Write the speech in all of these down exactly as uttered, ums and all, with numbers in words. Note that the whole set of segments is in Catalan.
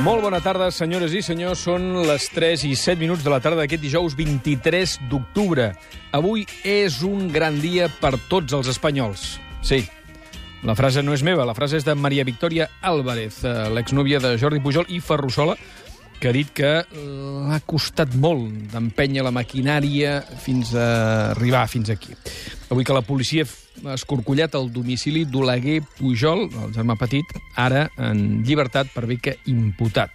Molt bona tarda, senyores i senyors. Són les tres i set minuts de la tarda d'aquest dijous vint-i-tres d'octubre. Avui és un gran dia per tots els espanyols. Sí, la frase no és meva, la frase és de Maria Victòria Álvarez, l'exnòvia de Jordi Pujol i Ferrusola, que ha dit que l'ha costat molt d'empènyer la maquinària fins a arribar fins aquí. Avui que la policia ha escorcollat el domicili d'Oleguer Pujol, el germà petit, ara en llibertat per bé que imputat.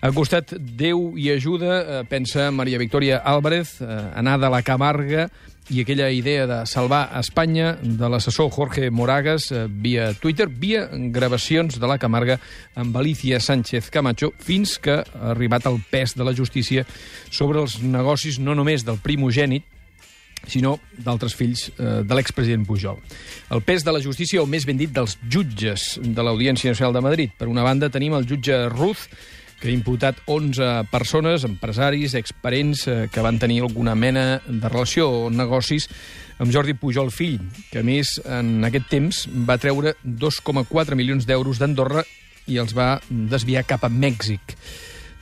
Ha costat Déu i ajuda, pensa Maria Victòria Álvarez, anar de la Camarga i aquella idea de salvar Espanya de l'assessor Jorge Moragas via Twitter, via gravacions de la Camarga amb Alicia Sánchez Camacho, fins que ha arribat el pes de la justícia sobre els negocis no només del primogènit, sinó d'altres fills eh, de l'expresident Pujol. El pes de la justícia, o més ben dit, dels jutges de l'Audiència Nacional de Madrid. Per una banda tenim el jutge Ruz, que ha imputat onze persones, empresaris, exparents, eh, que van tenir alguna mena de relació o negocis amb Jordi Pujol fill, que a més en aquest temps va treure dos coma quatre milions d'euros d'Andorra i els va desviar cap a Mèxic,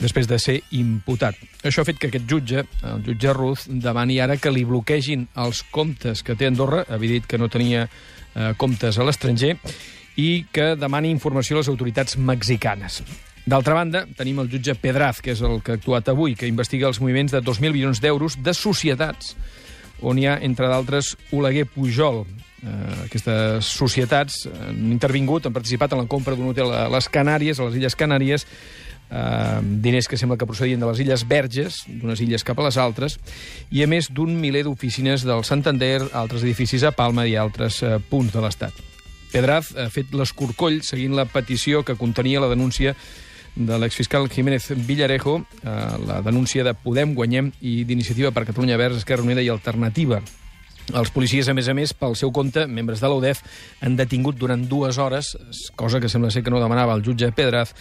després de ser imputat. Això ha fet que aquest jutge, el jutge Ruz, demani ara que li bloquegin els comptes que té Andorra, havia dit que no tenia eh, comptes a l'estranger, i que demani informació a les autoritats mexicanes. D'altra banda, tenim el jutge Pedraz, que és el que ha actuat avui, que investiga els moviments de dos mil milions d'euros de societats, on hi ha, entre d'altres, Oleguer Pujol. Eh, aquestes societats han intervingut, han participat en la compra d'un hotel a les Canàries, a les Illes Canàries, eh, diners que sembla que procedien de les Illes Verges, d'unes illes cap a les altres, i a més d'un miler d'oficines del Santander, altres edificis a Palma i altres eh, punts de l'Estat. Pedraz ha fet l'escorcoll seguint la petició que contenia la denúncia de l'exfiscal Jiménez Villarejo, eh, la denúncia de Podem, Guanyem i d'Iniciativa per Catalunya Verds, Esquerra Unida i Alternativa. Els policies, a més a més, pel seu compte, membres de l'U D E F, han detingut durant dues hores, cosa que sembla ser que no demanava el jutge Pedraz,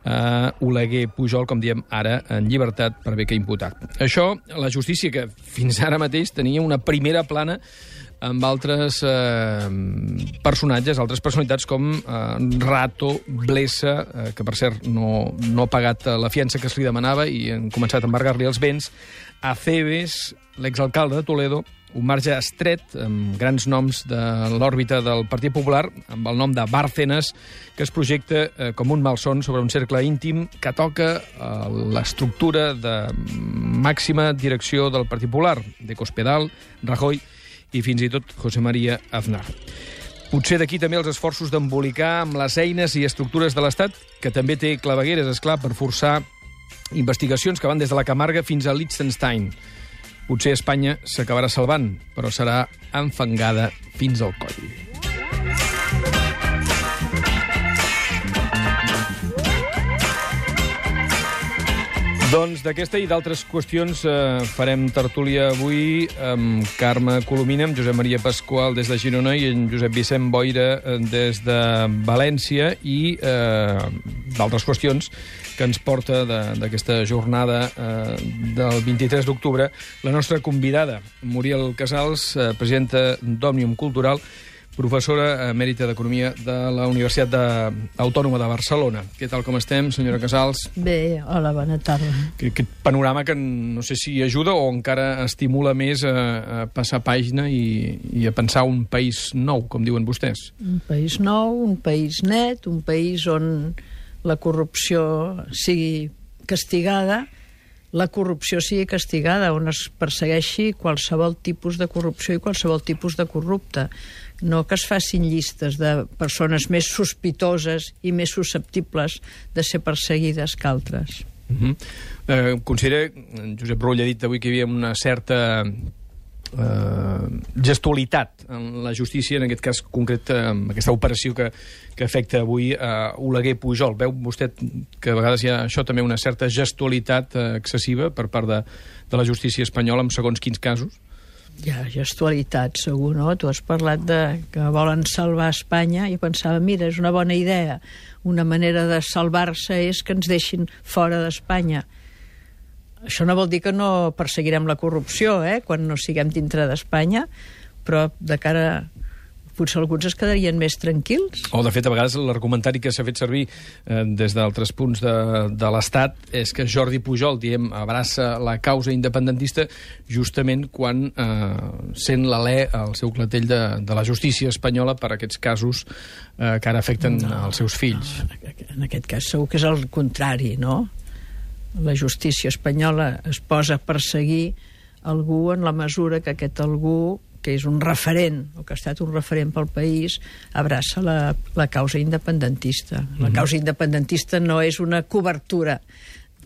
eh, Oleguer Pujol, com diem ara, en llibertat per bé que imputat. Això, la justícia, que fins ara mateix tenia una primera plana amb altres eh, personatges, altres personalitats com eh, Rato, Blesa, eh, que per cert no, no ha pagat la fiança que es li demanava i han començat a embargar-li els béns, Aceves, l'exalcalde de Toledo, un marge estret amb grans noms de l'òrbita del Partit Popular, amb el nom de Bárcenas, que es projecta eh, com un malson sobre un cercle íntim que toca eh, l'estructura de màxima direcció del Partit Popular, de Cospedal, Rajoy i fins i tot José María Aznar. Potser d'aquí també els esforços d'embolicar amb les eines i estructures de l'Estat, que també té clavegueres, esclar, per forçar investigacions que van des de la Camarga fins a Liechtenstein. Potser Espanya s'acabarà salvant, però serà enfangada fins al coll. Doncs d'aquesta i d'altres qüestions eh, farem tertúlia avui amb Carme Colomina, amb Josep Maria Pasqual des de Girona i en Josep Vicent Boira des de València i eh, d'altres qüestions que ens porta d'aquesta jornada eh, del vint-i-tres d'octubre la nostra convidada, Muriel Casals, eh, presidenta d'Òmnium Cultural, professora emèrita d'Economia de la Universitat de... Autònoma de Barcelona. Què tal, com estem, senyora Casals? Bé, hola, bona tarda. Aquest panorama que no sé si ajuda o encara estimula més a, a passar pàgina i, i a pensar un país nou, com diuen vostès. Un país nou, un país net, un país on la corrupció sigui castigada, la corrupció sigui castigada, on es persegueixi qualsevol tipus de corrupció i qualsevol tipus de corrupte. No que es facin llistes de persones més sospitoses i més susceptibles de ser perseguides que altres. Uh-huh. eh, considera, Josep Rull ha dit avui que hi havia una certa eh, gestualitat en la justícia, en aquest cas concret, amb aquesta operació que, que afecta avui a Oleguer Pujol. Veu vostè que a vegades hi ha això també una certa gestualitat eh, excessiva per part de, de la justícia espanyola en segons quins casos? Hi ha gestualitat, segur, no? Tu has parlat de que volen salvar Espanya i pensava, mira, és una bona idea. Una manera de salvar-se és que ens deixin fora d'Espanya. Això no vol dir que no perseguirem la corrupció, eh?, quan no siguem dintre d'Espanya, però de cara potser alguns es quedarien més tranquils. O, de fet, a vegades l'argumentari que s'ha fet servir eh, des d'altres punts de, de l'Estat és que Jordi Pujol, diem, abraça la causa independentista justament quan eh, sent l'alè al seu clatell de, de la justícia espanyola per aquests casos eh, que ara afecten no, els seus fills. No, en aquest cas segur que és el contrari, no? La justícia espanyola es posa a perseguir algú en la mesura que aquest algú, que és un referent, o que ha estat un referent pel país, abraça la, la causa independentista. La mm-hmm. causa independentista no és una cobertura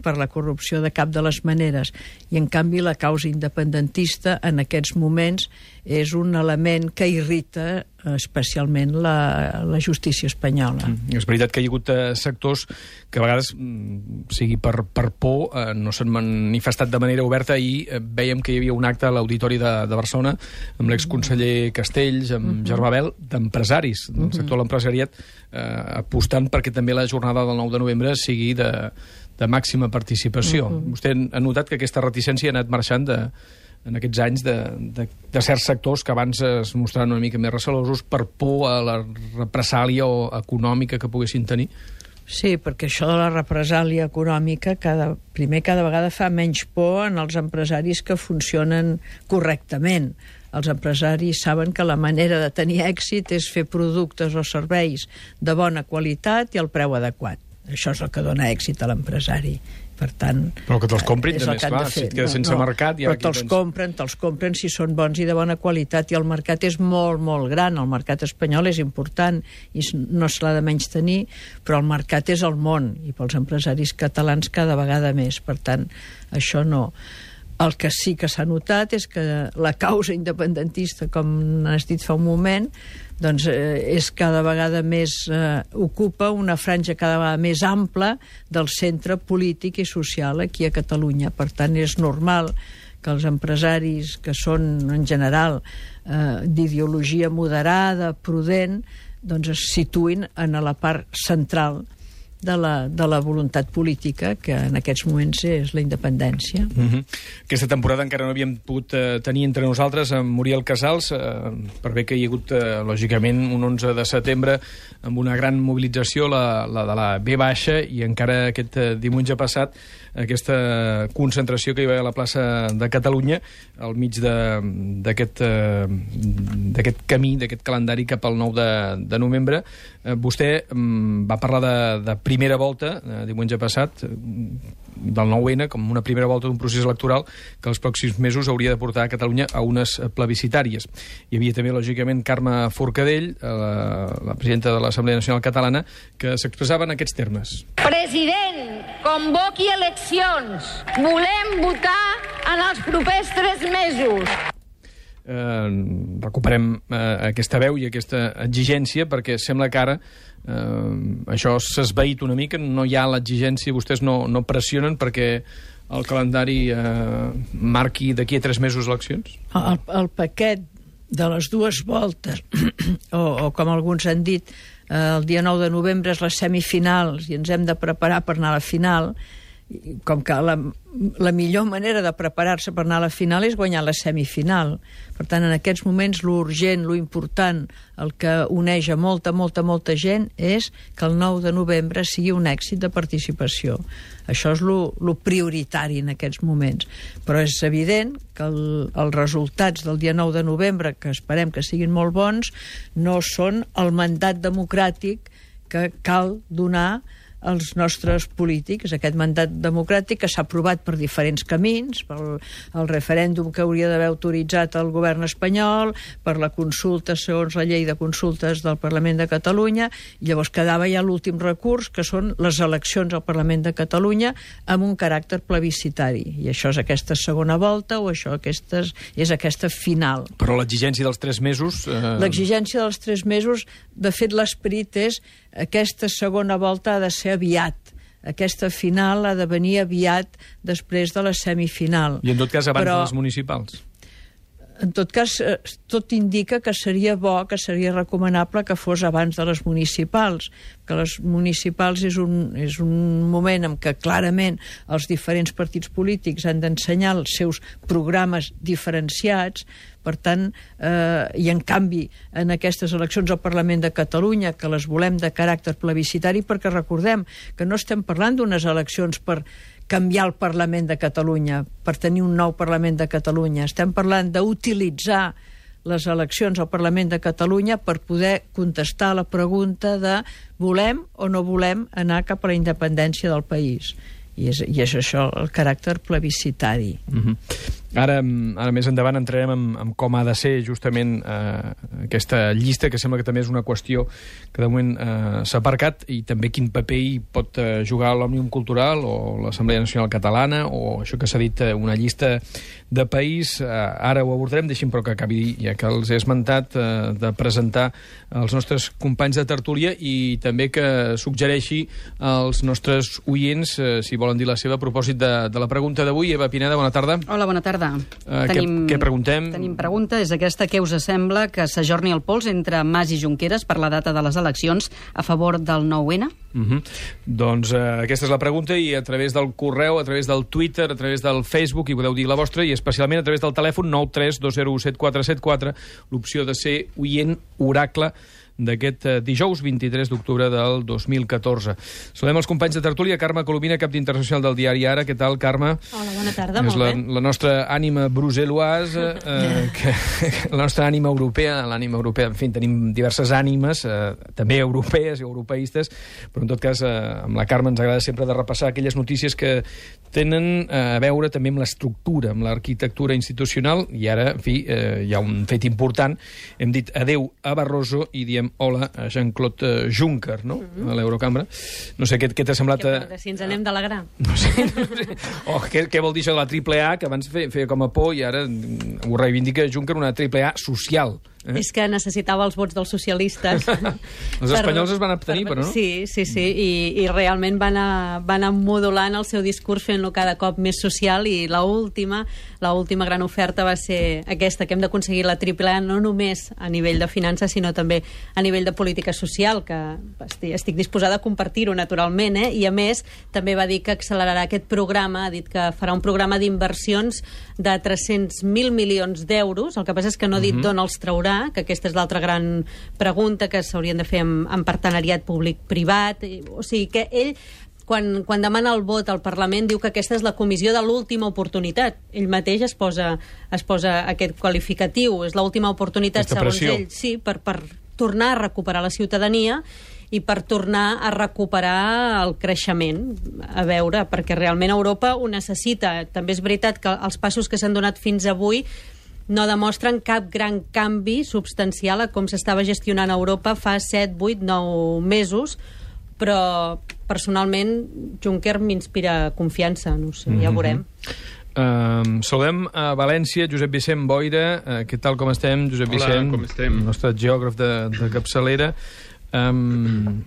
per la corrupció de cap de les maneres, i en canvi la causa independentista en aquests moments és un element que irrita especialment la, la justícia espanyola. Mm. És veritat que hi ha hagut eh, sectors que a vegades, mm, sigui per, per por, eh, no s'han manifestat de manera oberta, i eh, veiem que hi havia un acte a l'Auditori de, de Barcelona amb l'exconseller Castells, amb mm-hmm. Germà Bel, d'empresaris del mm-hmm. sector de l'empresariat, eh, apostant perquè també la jornada del nou de novembre sigui de, de màxima participació. Mm-hmm. Vostè ha notat que aquesta reticència ha anat marxant de, en aquests anys de, de, de certs sectors que abans es mostraven una mica més recelosos per por a la represàlia o econòmica que poguessin tenir? Sí, perquè això de la represàlia econòmica cada, primer cada vegada fa menys por en els empresaris que funcionen correctament. Els empresaris saben que la manera de tenir èxit és fer productes o serveis de bona qualitat i al preu adequat. Això és el que dona èxit a l'empresari. Per tant, però que te'ls comprin també, esclar, si et quedes sense no, mercat... Però te'ls tens... compren, te'ls compren si són bons i de bona qualitat, i el mercat és molt, molt gran. El mercat espanyol és important i no se l'ha de menys tenir, però el mercat és el món, i pels empresaris catalans cada vegada més. Per tant, això no. El que sí que s'ha notat és que la causa independentista, com has dit fa un moment, doncs eh, és cada vegada més, eh, ocupa una franja cada vegada més ampla del centre polític i social aquí a Catalunya. Per tant, és normal que els empresaris, que són en general eh, d'ideologia moderada, prudent, doncs es situïn en la part central de la, de la voluntat política, que en aquests moments és la independència. Mm-hmm. Aquesta temporada encara no havíem pogut eh, tenir entre nosaltres en Muriel Casals, eh, per bé que hi ha hagut, eh, lògicament, un onze de setembre amb una gran mobilització, la, la de la B baixa, i encara aquest eh, diumenge passat, aquesta concentració que hi va a la plaça de Catalunya, al mig d'aquest eh, d'aquest camí, d'aquest calendari cap al nou de, de novembre. Eh, vostè mm, va parlar de, de primera volta, eh, diumenge passat, del nou ene, com una primera volta d'un procés electoral que els pròxims mesos hauria de portar a Catalunya a unes plebiscitàries. Hi havia també, lògicament, Carme Forcadell, la, la presidenta de l'Assemblea Nacional Catalana, que s'expressava en aquests termes. President, convoqui eleccions. Volem votar en els propers tres mesos. Eh, recuperem eh, aquesta veu i aquesta exigència, perquè sembla que ara eh, això s'ha esvaït una mica, no hi ha l'exigència, vostès no, no pressionen perquè el calendari eh, marqui d'aquí a tres mesos eleccions? El, el paquet de les dues voltes, o, o com alguns han dit, eh, el dia nou de novembre és les semifinals i ens hem de preparar per anar a la final. Com que la, la millor manera de preparar-se per anar a la final és guanyar la semifinal. Per tant, en aquests moments, lo urgent, lo important, el que uneix a molta, molta, molta gent és que el nou de novembre sigui un èxit de participació. Això és lo, lo prioritari en aquests moments. Però és evident que el, els resultats del dia nou de novembre, que esperem que siguin molt bons, no són el mandat democràtic que cal donar als nostres polítics. Aquest mandat democràtic que s'ha aprovat per diferents camins, pel el referèndum que hauria d'haver autoritzat el govern espanyol, per la consulta segons la llei de consultes del Parlament de Catalunya, i llavors quedava ja l'últim recurs, que són les eleccions al Parlament de Catalunya amb un caràcter plebiscitari. I això és aquesta segona volta, o això aquestes, és aquesta final. Però l'exigència dels tres mesos... Eh... L'exigència dels tres mesos, de fet, l'esperit és aquesta segona volta ha de ser aviat. Aquesta final ha de venir aviat després de la semifinal. I en tot cas abans Però, de les municipals? En tot cas, tot indica que seria bo, que seria recomanable que fos abans de les municipals, que les municipals és un, és un moment en què clarament els diferents partits polítics han d'ensenyar els seus programes diferenciats, Per tant, eh, i en canvi, en aquestes eleccions al Parlament de Catalunya, que les volem de caràcter plebiscitari, perquè recordem que no estem parlant d'unes eleccions per canviar el Parlament de Catalunya, per tenir un nou Parlament de Catalunya. Estem parlant d'utilitzar les eleccions al Parlament de Catalunya per poder contestar la pregunta de volem o no volem anar cap a la independència del país. I és, i és això el caràcter plebiscitari. Mm-hmm. Ara, ara més endavant entrarem en, en com ha de ser justament eh, aquesta llista, que sembla que també és una qüestió que de moment eh, s'ha aparcat, i també quin paper hi pot eh, jugar l'Òmnium Cultural o l'Assemblea Nacional Catalana, o això que s'ha dit, eh, una llista de país. Eh, ara ho abordarem, deixi'm però que acabi, ja que els he esmentat, eh, de presentar els nostres companys de tertúlia, i també que suggereixi als nostres oients, eh, si volen dir la seva, a propòsit de, de la pregunta d'avui. Eva Pineda, bona tarda. Hola, bona tarda. Uh, tenim, què, què preguntem? Tenim pregunta, és aquesta: què us sembla que s'ajorni el pols entre Mas i Junqueras per la data de les eleccions a favor del nou ene? Uh-huh. Doncs uh, aquesta és la pregunta, i a través del correu, a través del Twitter, a través del Facebook, hi podeu dir la vostra, i especialment a través del telèfon nou tres dos zero u set quatre set quatre, l'opció de ser oient oracle d'aquest uh, dijous vint-i-tres d'octubre del dos mil catorze. Saludem els companys de tertúlia. Carme Colomina, cap d'Internacional del diari Ara. Què tal, Carme? Hola, bona tarda, és molt la, bé. la nostra ànima brussel·loise, eh, que, la nostra ànima europea, l'ànima europea, en fi, tenim diverses ànimes, eh, també europees i europeistes, però en tot cas, eh, amb la Carme ens agrada sempre de repassar aquelles notícies que tenen eh, a veure també amb l'estructura, amb l'arquitectura institucional, i ara, en fi, eh, hi ha un fet important. Hem dit adeu a Barroso i diem hola a Jean-Claude Juncker, no? Mm-hmm. A l'Eurocambra. No sé, què, què t'ha semblat? Què porta, si ens anem d'alegrar? No sé, no sé. Oh, què, què vol dir això de la triple A, que abans feia, feia com a por, i ara ho reivindica Juncker, una triple A social. Eh? És que necessitava els vots dels socialistes. Els espanyols es van abstenir, per, però no? Sí, sí, sí, i, i realment van anar, van anar modulant el seu discurs, fent-lo cada cop més social, i l'última l'última gran oferta va ser aquesta, que hem d'aconseguir la triple A, no només a nivell de finances, sinó també a nivell de política social, que estic, estic disposada a compartir-ho naturalment, eh? I a més també va dir que accelerarà aquest programa, ha dit que farà un programa d'inversions de tres-cents mil milions d'euros. El que passa és que no ha dit uh-huh. d'on els traurà, que aquesta és l'altra gran pregunta, que s'haurien de fer amb, amb partenariat públic-privat. O sigui que ell, quan, quan demana el vot al Parlament, diu que aquesta és la comissió de l'última oportunitat. Ell mateix es posa, es posa aquest qualificatiu, és l'última oportunitat, aquesta segons pressió. ell, sí, per, per tornar a recuperar la ciutadania i per tornar a recuperar el creixement. A veure, perquè realment Europa ho necessita. També és veritat que els passos que s'han donat fins avui no demostren cap gran canvi substancial a com s'estava gestionant a Europa fa set, vuit, nou mesos, però personalment Juncker m'inspira confiança, no sé, ja veurem. Uh, saludem a València, Josep Vicent Boira. Uh, què tal, com estem, Josep Hola, Vicent? com estem? El nostre geògraf de, de capçalera. Um,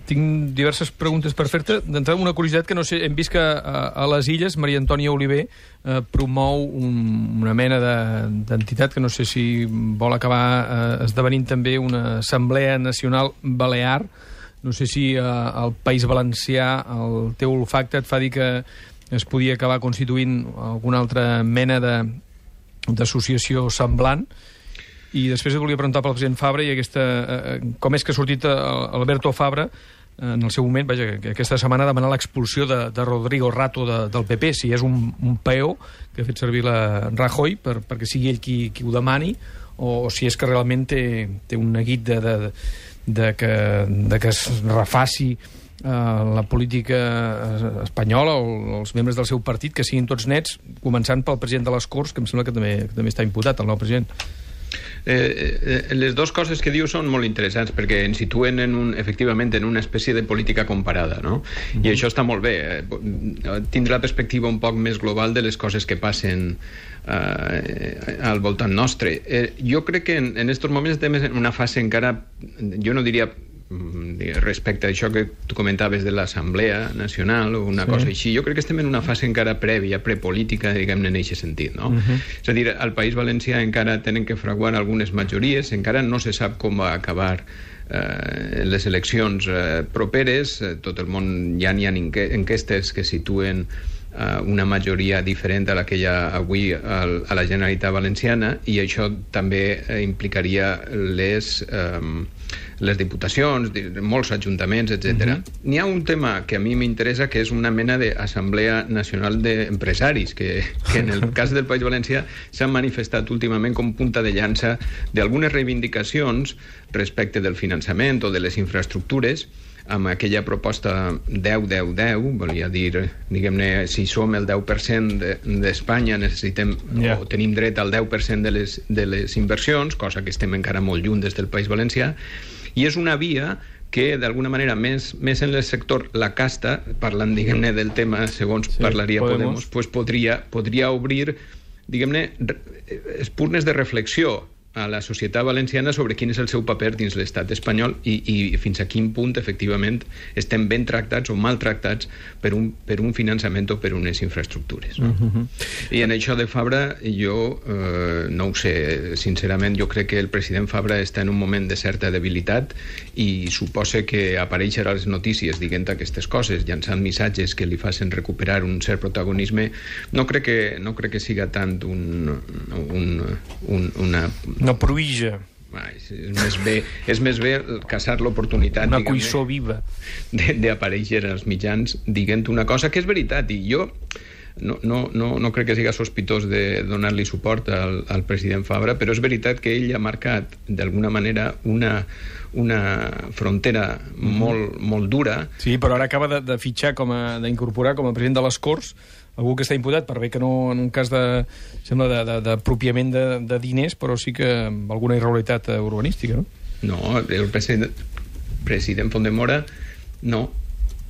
tinc diverses preguntes per fer-te. D'entrada, una curiositat que no sé, hem vist que a, a les Illes Maria Antònia Oliver eh, promou un, una mena d'entitat que no sé si vol acabar eh, esdevenint també una assemblea nacional balear. No sé si eh, al País Valencià el teu olfacte et fa dir que es podia acabar constituint alguna altra mena d'associació semblant. I després et volia preguntar pel president Fabra i aquesta, eh, com és que ha sortit Alberto Fabra en el seu moment, vaja, que aquesta setmana demanar l'expulsió de, de Rodrigo Rato de, del P P, si és un, un peó que ha fet servir la Rajoy per, perquè sigui ell qui, qui ho demani, o, o si és que realment té, té un neguit de, de, de, que, de que es refaci Uh, la política espanyola o els membres del seu partit, que siguin tots nets, començant pel president de les Corts, que em sembla que també, que també està imputat, el nou president. Eh, eh, les dues coses que diu són molt interessants perquè ens situen en un, efectivament en una espècie de política comparada, no? Mm-hmm. I això està molt bé, eh, tindre la perspectiva un poc més global de les coses que passen eh, al voltant nostre. Eh, jo crec que en, en estos moments estem en una fase encara, jo no diria respecte a això que tu comentaves de l'Assemblea Nacional o una sí. cosa així, jo crec que estem en una fase encara prèvia, prepolítica, diguem-ne, en aquest sentit, no? Uh-huh. És a dir, al País Valencià encara tenen que fraguar algunes majories, encara no se sap com va acabar eh, les eleccions eh, properes, eh, tot el món ja n'hi ha enquestes que situen una majoria diferent a la que hi ha avui a la Generalitat Valenciana, i això també implicaria les, um, les diputacions, molts ajuntaments, etcètera. Mm-hmm. N'hi ha un tema que a mi m'interessa, que és una mena d'Assemblea Nacional d'Empresaris, que, que en el cas del País Valencià s'han manifestat últimament com punta de llança d'algunes reivindicacions respecte del finançament o de les infraestructures, amb aquella proposta deu deu deu, volia dir, diguem-ne, si som el deu per cent d'Espanya, necessitem yeah. o tenim dret al deu per cent de les, de les inversions, cosa que estem encara molt lluny des del País Valencià, i és una via que d'alguna manera més, més en el sector la casta, parlant, diguem-ne, del tema segons sí, parlaria Podemos, pues podria, podria obrir, diguem-ne, espurnes de reflexió a la societat valenciana sobre quin és el seu paper dins l'estat espanyol i, i fins a quin punt, efectivament, estem ben tractats o mal tractats per un, per un finançament o per unes infraestructures. No? Uh-huh. I en això de Fabra, jo eh, no ho sé, sincerament, jo crec que el president Fabra està en un moment de certa debilitat i suposa que aparèixer a les notícies dient aquestes coses, llançant missatges que li facin recuperar un cert protagonisme, no crec que, no crec que siga tant un, un, un, una... No proïja. És més bé, és més bé caçar l'oportunitat, una cuissó viva d'aparèixer als mitjans dient una cosa que és veritat, i jo no, no, no, no crec que siga sospitós de donar-li suport al, al president Fabra, però és veritat que ell ha marcat d'alguna manera una, una frontera mm-hmm. molt, molt dura. Sí, però ara acaba de, de fitxar, com a, d'incorporar com a president de les Corts algú que està imputat, per bé que no en un cas de, sembla, d'apropiament de, de, de diners, però sí que amb alguna irregularitat urbanística, no? No, el president, president Fondemora no.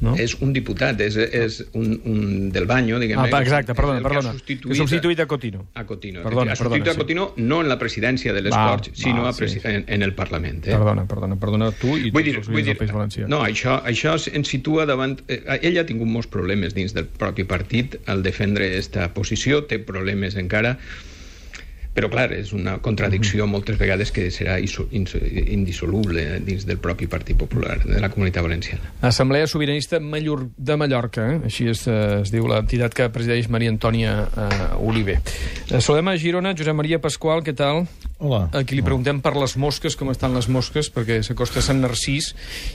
No? És un diputat, és, és un, un del Baño, diguem-ne. Ah, exacte, perdona, perdona. Que ha substituït a Cotino. A Cotino. Perdona, ha substituït perdona, a Cotino sí. No en la presidència de les va, Corts, sinó va, a presi sí. en, en el Parlament. Eh? Perdona, perdona, perdona tu i vull tots dir, els oients del País Valencià. No, això, això ens situa davant... Eh, ell ha tingut molts problemes dins del propi partit al defendre aquesta posició, té problemes encara... Però, clar, és una contradicció moltes vegades que serà indissoluble dins del propi Partit Popular de la Comunitat Valenciana. Assemblea Sobiranista Mallor de Mallorca, eh? Així es, es diu l'entitat que presideix Maria Antònia uh, Oliver. Uh, saludem a Girona, Josep Maria Pasqual, què tal? Hola. Aquí li preguntem per les mosques, com estan les mosques, perquè s'acosta Sant Narcís,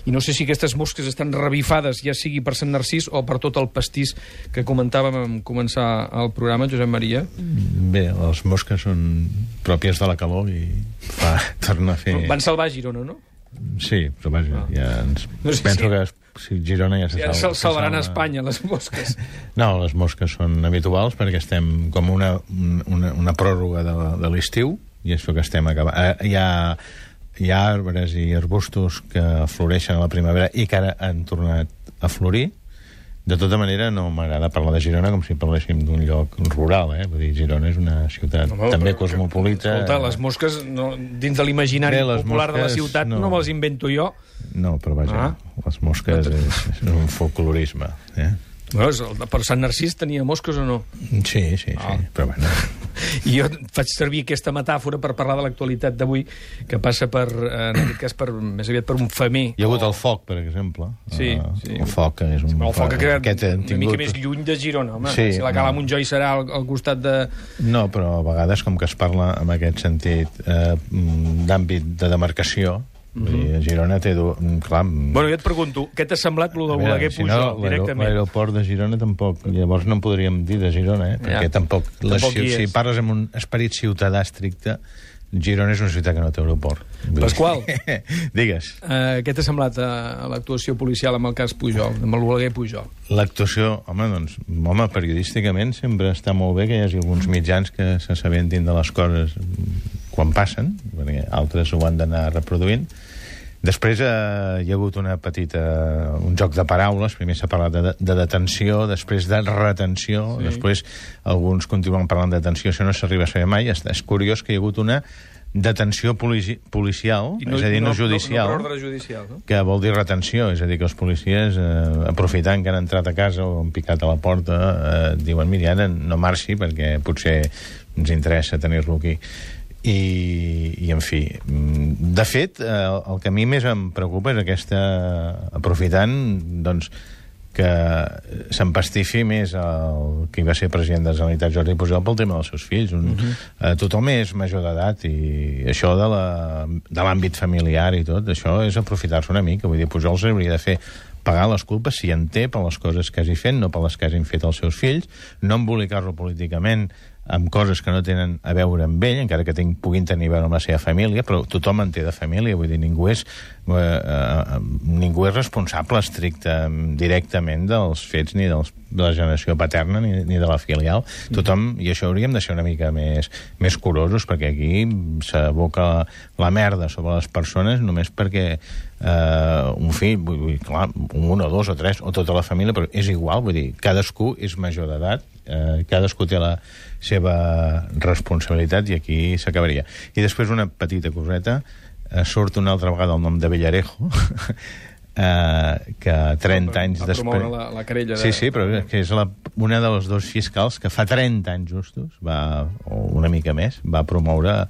i no sé si aquestes mosques estan revifades, ja sigui per Sant Narcís o per tot el pastís que comentàvem en començar el programa, Josep Maria. Bé, les mosques són pròpies de la calor i fa, torna a fer... Van salvar Girona, no? Sí, però vaja, ah. ja ens... No sé penso si... que si Girona ja se ja salva. Ja salvaran a Espanya, les mosques. No, les mosques són habituals perquè estem com una, una, una pròrroga de, de l'estiu, i això que estem acabant. Hi ha, hi ha arbres i arbustos que floreixen a la primavera i que ara han tornat a florir. De tota manera, no m'agrada parlar de Girona com si parléssim d'un lloc rural, eh? Vull dir, Girona és una ciutat no, també però, cosmopolita. Escolta, les mosques, no, dins de l'imaginari popular mosques, de la ciutat, no, no me les invento jo. No, però vaja, ah. les mosques és, és un folclorisme, eh? Bueno, per Sant Narcís tenia mosques o no? Sí, sí, sí, ah. però bueno... I jo faig servir aquesta metàfora per parlar de l'actualitat d'avui, que passa per, en aquest cas, per, més aviat per un femer. Hi ha hagut o... el foc, per exemple. Sí, uh, sí. El foc és un... El foc ha quedat una tingut... mica més lluny de Girona, home. Sí, si la Cala no. Montjoi serà al, al costat de... No, però a vegades, com que es parla en aquest sentit eh, d'àmbit de demarcació, vull dir, a Girona té... Du... Clar... Bueno, jo et pregunto, què t'ha semblat lo del Oleguer si Pujol, no, directament? L'aeroport de Girona tampoc... Llavors no en podríem dir de Girona, eh? Perquè ja. tampoc... tampoc les, si parles amb un esperit ciutadà estricte, Girona és una ciutat que no té aeroport. Pasqual, digues. Uh, què t'ha semblat uh, l'actuació policial amb el cas Pujol, amb l'Oleguer Pujol? L'actuació, home, doncs, home, periodísticament sempre està molt bé que hi hagi alguns mitjans que s'assabentin de les coses quan passen, perquè altres ho han d'anar reproduint. Després eh, hi ha hagut una petita, un joc de paraules. Primer s'ha parlat de, de detenció, després de retenció, sí. Després alguns continuen parlant de detenció, això no s'arriba a saber mai. És, és curiós que hi ha hagut una detenció polici policial, no, és a dir, no, no judicial, no, no judicial no? Que vol dir retenció, és a dir, que els policies, eh, aprofitant que han entrat a casa o han picat a la porta, eh, diuen, mira, ara no marxi perquè potser ens interessa tenir-lo aquí. I, i en fi, de fet, eh, el que a mi més em preocupa és aquesta, aprofitant, doncs, que s'empastifi més el que va ser president de la Generalitat, Jordi Pujol, pel tema dels seus fills. Un, uh-huh. eh, tothom és major d'edat i això de la- de l'àmbit familiar i tot, això és aprofitar-se una mica. Vull dir, Pujol s'hauria de fer pagar les culpes, si en té, per les coses que hagi fet, no per les que hagin fet els seus fills, no embolicar-lo políticament amb coses que no tenen a veure amb ell, encara que ten, puguin tenir a veure amb la seva família, però tothom en té de família, vull dir, ningú és, eh, eh, ningú és responsable estricte directament dels fets ni dels, de la generació paterna ni, ni de la filial. Tothom, i això hauríem de ser una mica més, més curosos, perquè aquí s'aboca la, la merda sobre les persones només perquè eh, un fill, vull dir, clar, un o dos o tres, o tota la família, però és igual, vull dir, cadascú és major d'edat, eh, cadascú té la seva responsabilitat i aquí s'acabaria. I després una petita coseta, eh, surt una altra vegada el nom de Villarejo, eh, que trenta anys va després... promoure la, la querella de... Sí, sí, però és que és la, una de les dos fiscals que fa trenta anys justos, va, o una mica més, va promoure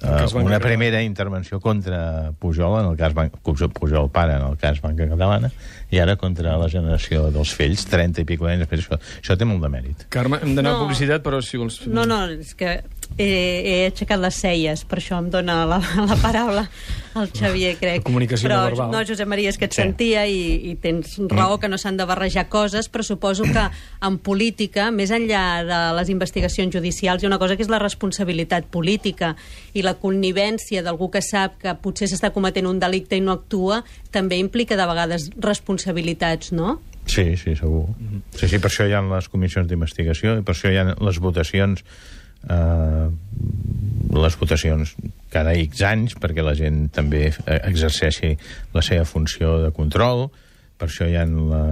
eh, una primera intervenció contra Pujol, en el cas Ban... Pujol pare, en el cas Banca Catalana, i ara contra la generació dels fills, trenta i pico anys després. Això, això té molt de mèrit. Carme, hem d'anar No. a publicitat, però si vols... No, no, és que he, he aixecat les celles, per això em dona la, la paraula el Xavier, crec. La comunicació però, no verbal. No, Josep Maria, és que et Sí. sentia i, i tens raó que no s'han de barrejar coses, però suposo que en política, més enllà de les investigacions judicials, hi ha una cosa que és la responsabilitat política i la connivència d'algú que sap que potser s'està cometent un delicte i no actua, també implica de vegades responsabilitats, no? Sí, sí, segur. Sí, sí, per això hi ha les comissions d'investigació i per això hi ha les votacions eh, les votacions cada X anys perquè la gent també exerceixi la seva funció de control, per això hi ha la,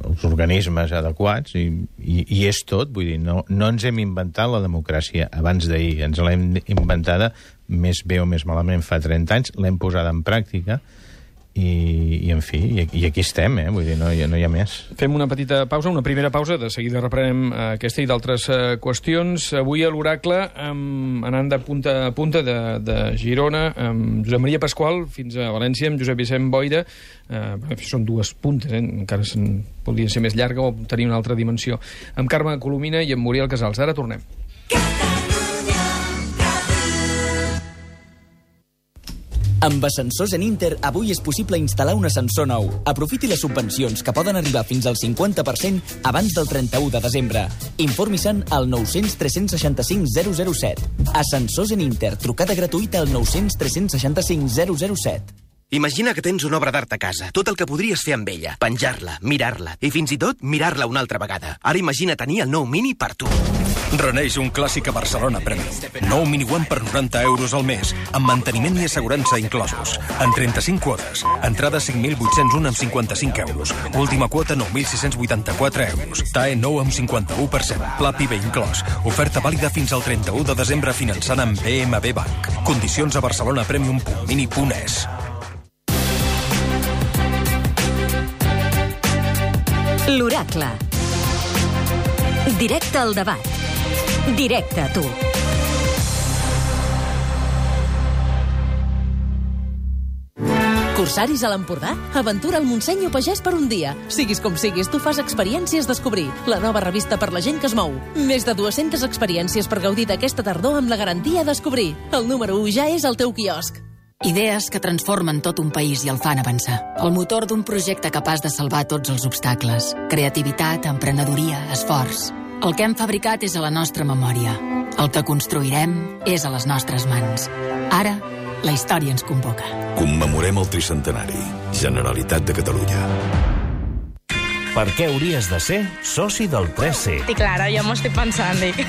els organismes adequats i, i, i és tot, vull dir, no, no ens hem inventat la democràcia abans d'ahir, ens l'hem inventada més bé o més malament fa trenta anys, l'hem posada en pràctica i, i en fi, i, i aquí estem, eh? Vull dir, no, no hi ha més. Fem una petita pausa, una primera pausa, de seguida reprenem eh, aquesta i d'altres eh, qüestions. Avui a l'Oracle, um, anant de punta a punta de, de Girona, amb Josep Maria Pasqual, fins a València, amb Josep Vicent Boira. Eh, són dues puntes, eh? Encara se'n podria ser més llarga o tenir una altra dimensió. Amb Carme Colomina i amb Muriel Casals. Ara tornem. Amb ascensors en Inter, avui és possible instal·lar un ascensor nou. Aprofiti les subvencions, que poden arribar fins al cinquanta per cent abans del trenta-u de desembre. Informi-se'n al nou cents tres cents seixanta-cinc zero zero set. Ascensors en Inter, trucada gratuïta al nou cents tres cents seixanta-cinc zero zero set. Imagina que tens una obra d'art a casa, tot el que podries fer amb ella, penjar-la, mirar-la i fins i tot mirar-la una altra vegada. Ara imagina tenir el nou Mini per tu. Reneix un clàssic a Barcelona Premium. Nou Mini One per noranta euros al mes, amb manteniment i assegurança inclosos. En trenta-cinc quotes. Entrada cinc mil vuit-cents un amb cinquanta-cinc euros. Última quota nou mil sis-cents vuitanta-quatre euros. T A E nou amb cinquanta-u per cent. Pla P I B inclòs. Oferta vàlida fins al trenta-u de desembre finançant amb B M W Bank. Condicions a barcelonapremium punt mini punt es. L'Oracle. Directe al debat. Directe a tu. Cursaris a l'Empordà? Aventura al Montseny o Pagès per un dia. Siguis com siguis, tu fas Experiències Descobrir, la nova revista per la gent que es mou. Més de dues-centes experiències per gaudir d'aquesta tardor amb la garantia Descobrir. El número u ja és al teu quiosc. Idees que transformen tot un país i el fan avançar. El motor d'un projecte capaç de salvar tots els obstacles. Creativitat, emprenedoria, esforç. El que hem fabricat és a la nostra memòria. El que construirem és a les nostres mans. Ara, la història ens convoca. Commemorem el tricentenari. Generalitat de Catalunya. Per què hauries de ser soci del tres C? I clar, ja m'ho estic pensant, dic.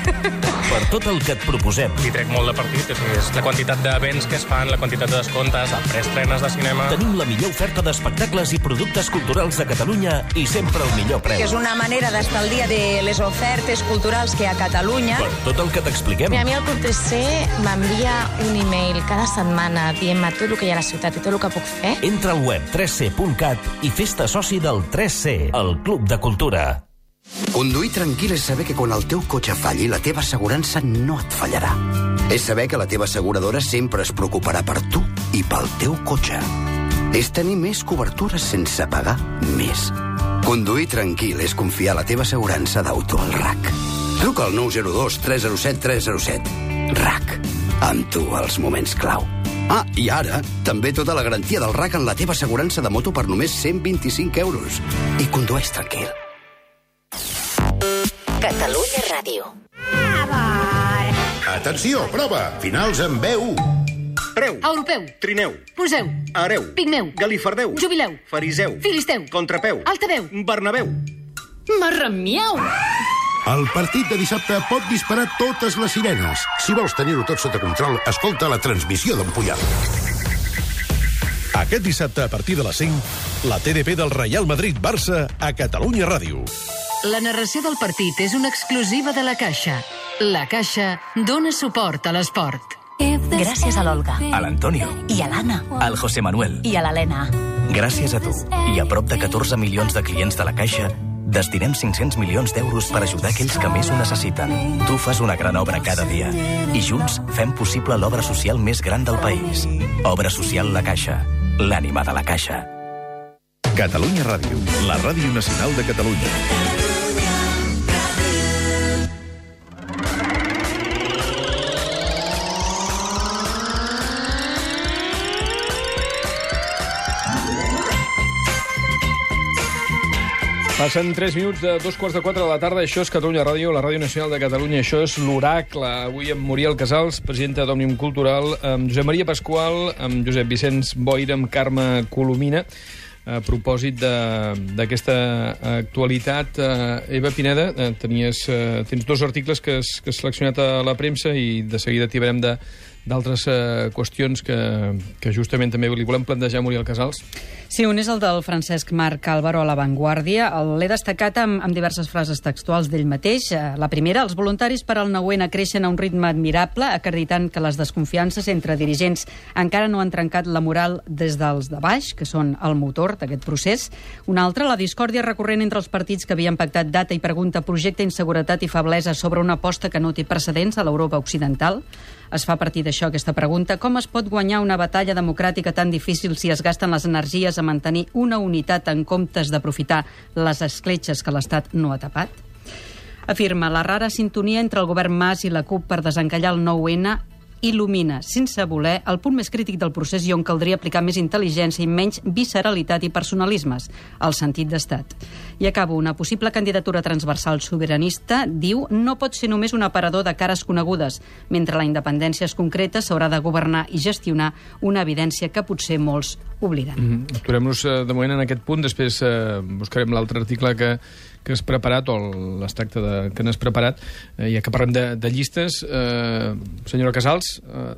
Per tot el que et proposem. Li trec molt de partit, és la quantitat d'events que es fan, la quantitat de descomptes, les preestrenes de cinema... Tenim la millor oferta d'espectacles i productes culturals de Catalunya i sempre el millor preu. Que és una manera d'estar al dia de les ofertes culturals que hi ha a Catalunya. Per tot el que t'expliquem. A mi el Club tres C m'envia un e-mail cada setmana dient-me tot el que hi ha a la ciutat i tot el que puc fer. Entra al web tres c punt cat i fes-te soci del tres C, el Club de Cultura. Conduir tranquil és saber que quan el teu cotxe falli, la teva assegurança no et fallarà. És saber que la teva asseguradora sempre es preocuparà per tu i pel teu cotxe. És tenir més cobertures sense pagar més. Conduir tranquil és confiar la teva assegurança d'auto al R A C. Truca al nou zero dos tres zero set tres zero set. R A C. Amb tu als moments clau. Ah, i ara, també tota la garantia del R A C en la teva assegurança de moto per només cent vint-i-cinc euros. I condueix tranquil. Catalunya Ràdio. Atenció, prova! Finals en B u. Preu. Europeu. Trineu. Museu. Hereu. Pigmeu. Galifardeu. Jubileu. Fariseu. Filisteu. Contrapeu. Altaveu. Bernabéu. Marramiau. El partit de dissabte pot disparar totes les sirenes. Si vols tenir-ho tot sota control, escolta la transmissió d'en Puyol. Aquest dissabte, a partir de les cinc, la T D P del Real Madrid-Barça a Catalunya Ràdio. La narració del partit és una exclusiva de La Caixa. La Caixa dona suport a l'esport. Gràcies a l'Olga, a l'Antonio i a l'Anna, al José Manuel i a l'Helena. Gràcies a tu i a prop de catorze milions de clients de La Caixa, destinem cinc-cents milions d'euros per ajudar aquells que més ho necessiten. Tu fas una gran obra cada dia i junts fem possible l'obra social més gran del país. Obra social La Caixa, l'ànima de La Caixa. Catalunya Ràdio, la ràdio nacional de Catalunya. Passen tres minuts de dos quarts de quatre de la tarda. Això és Catalunya Ràdio, la Ràdio Nacional de Catalunya. Això és l'Oracle. Avui amb Muriel Casals, presidenta d'Òmnium Cultural, amb Josep Maria Pasqual, amb Josep Vicenç Boira, amb Carme Colomina, a propòsit d'aquesta actualitat. Eva Pineda, tenies, tens dos articles que has, que has seleccionat a la premsa i de seguida t'hi veurem de d'altres uh, qüestions que, que justament també li volem plantejar a Muriel Casals. Sí, un és el del Francesc Marc Álvaro a La Vanguardia. L'he destacat amb, amb diverses frases textuals d'ell mateix. La primera, els voluntaris per al nou ene creixen a un ritme admirable, acreditant que les desconfiances entre dirigents encara no han trencat la moral des dels de baix, que són el motor d'aquest procés. Una altra, la discòrdia recurrent entre els partits que havien pactat data i pregunta, projecte, inseguretat i feblesa sobre una aposta que no té precedents a l'Europa occidental. Es fa a partir d'això aquesta pregunta. Com es pot guanyar una batalla democràtica tan difícil si es gasten les energies a mantenir una unitat en comptes d'aprofitar les escletxes que l'Estat no ha tapat? Afirma, la rara sintonia entre el govern Mas i la CUP per desencallar el nou ene il·lumina, sense voler, el punt més crític del procés i on caldria aplicar més intel·ligència i menys visceralitat i personalismes, el sentit d'estat. I acabo, una possible candidatura transversal sobiranista, diu, no pot ser només un aparador de cares conegudes, mentre la independència es concreta, s'haurà de governar i gestionar una evidència que potser molts obliden. Mm-hmm. Aturem-nos uh, de moment en aquest punt, després uh, buscarem l'altre article que que has preparat, o l'extracte que n'has preparat, eh, ja que parlem de, de llistes. Eh, senyora Casals, eh,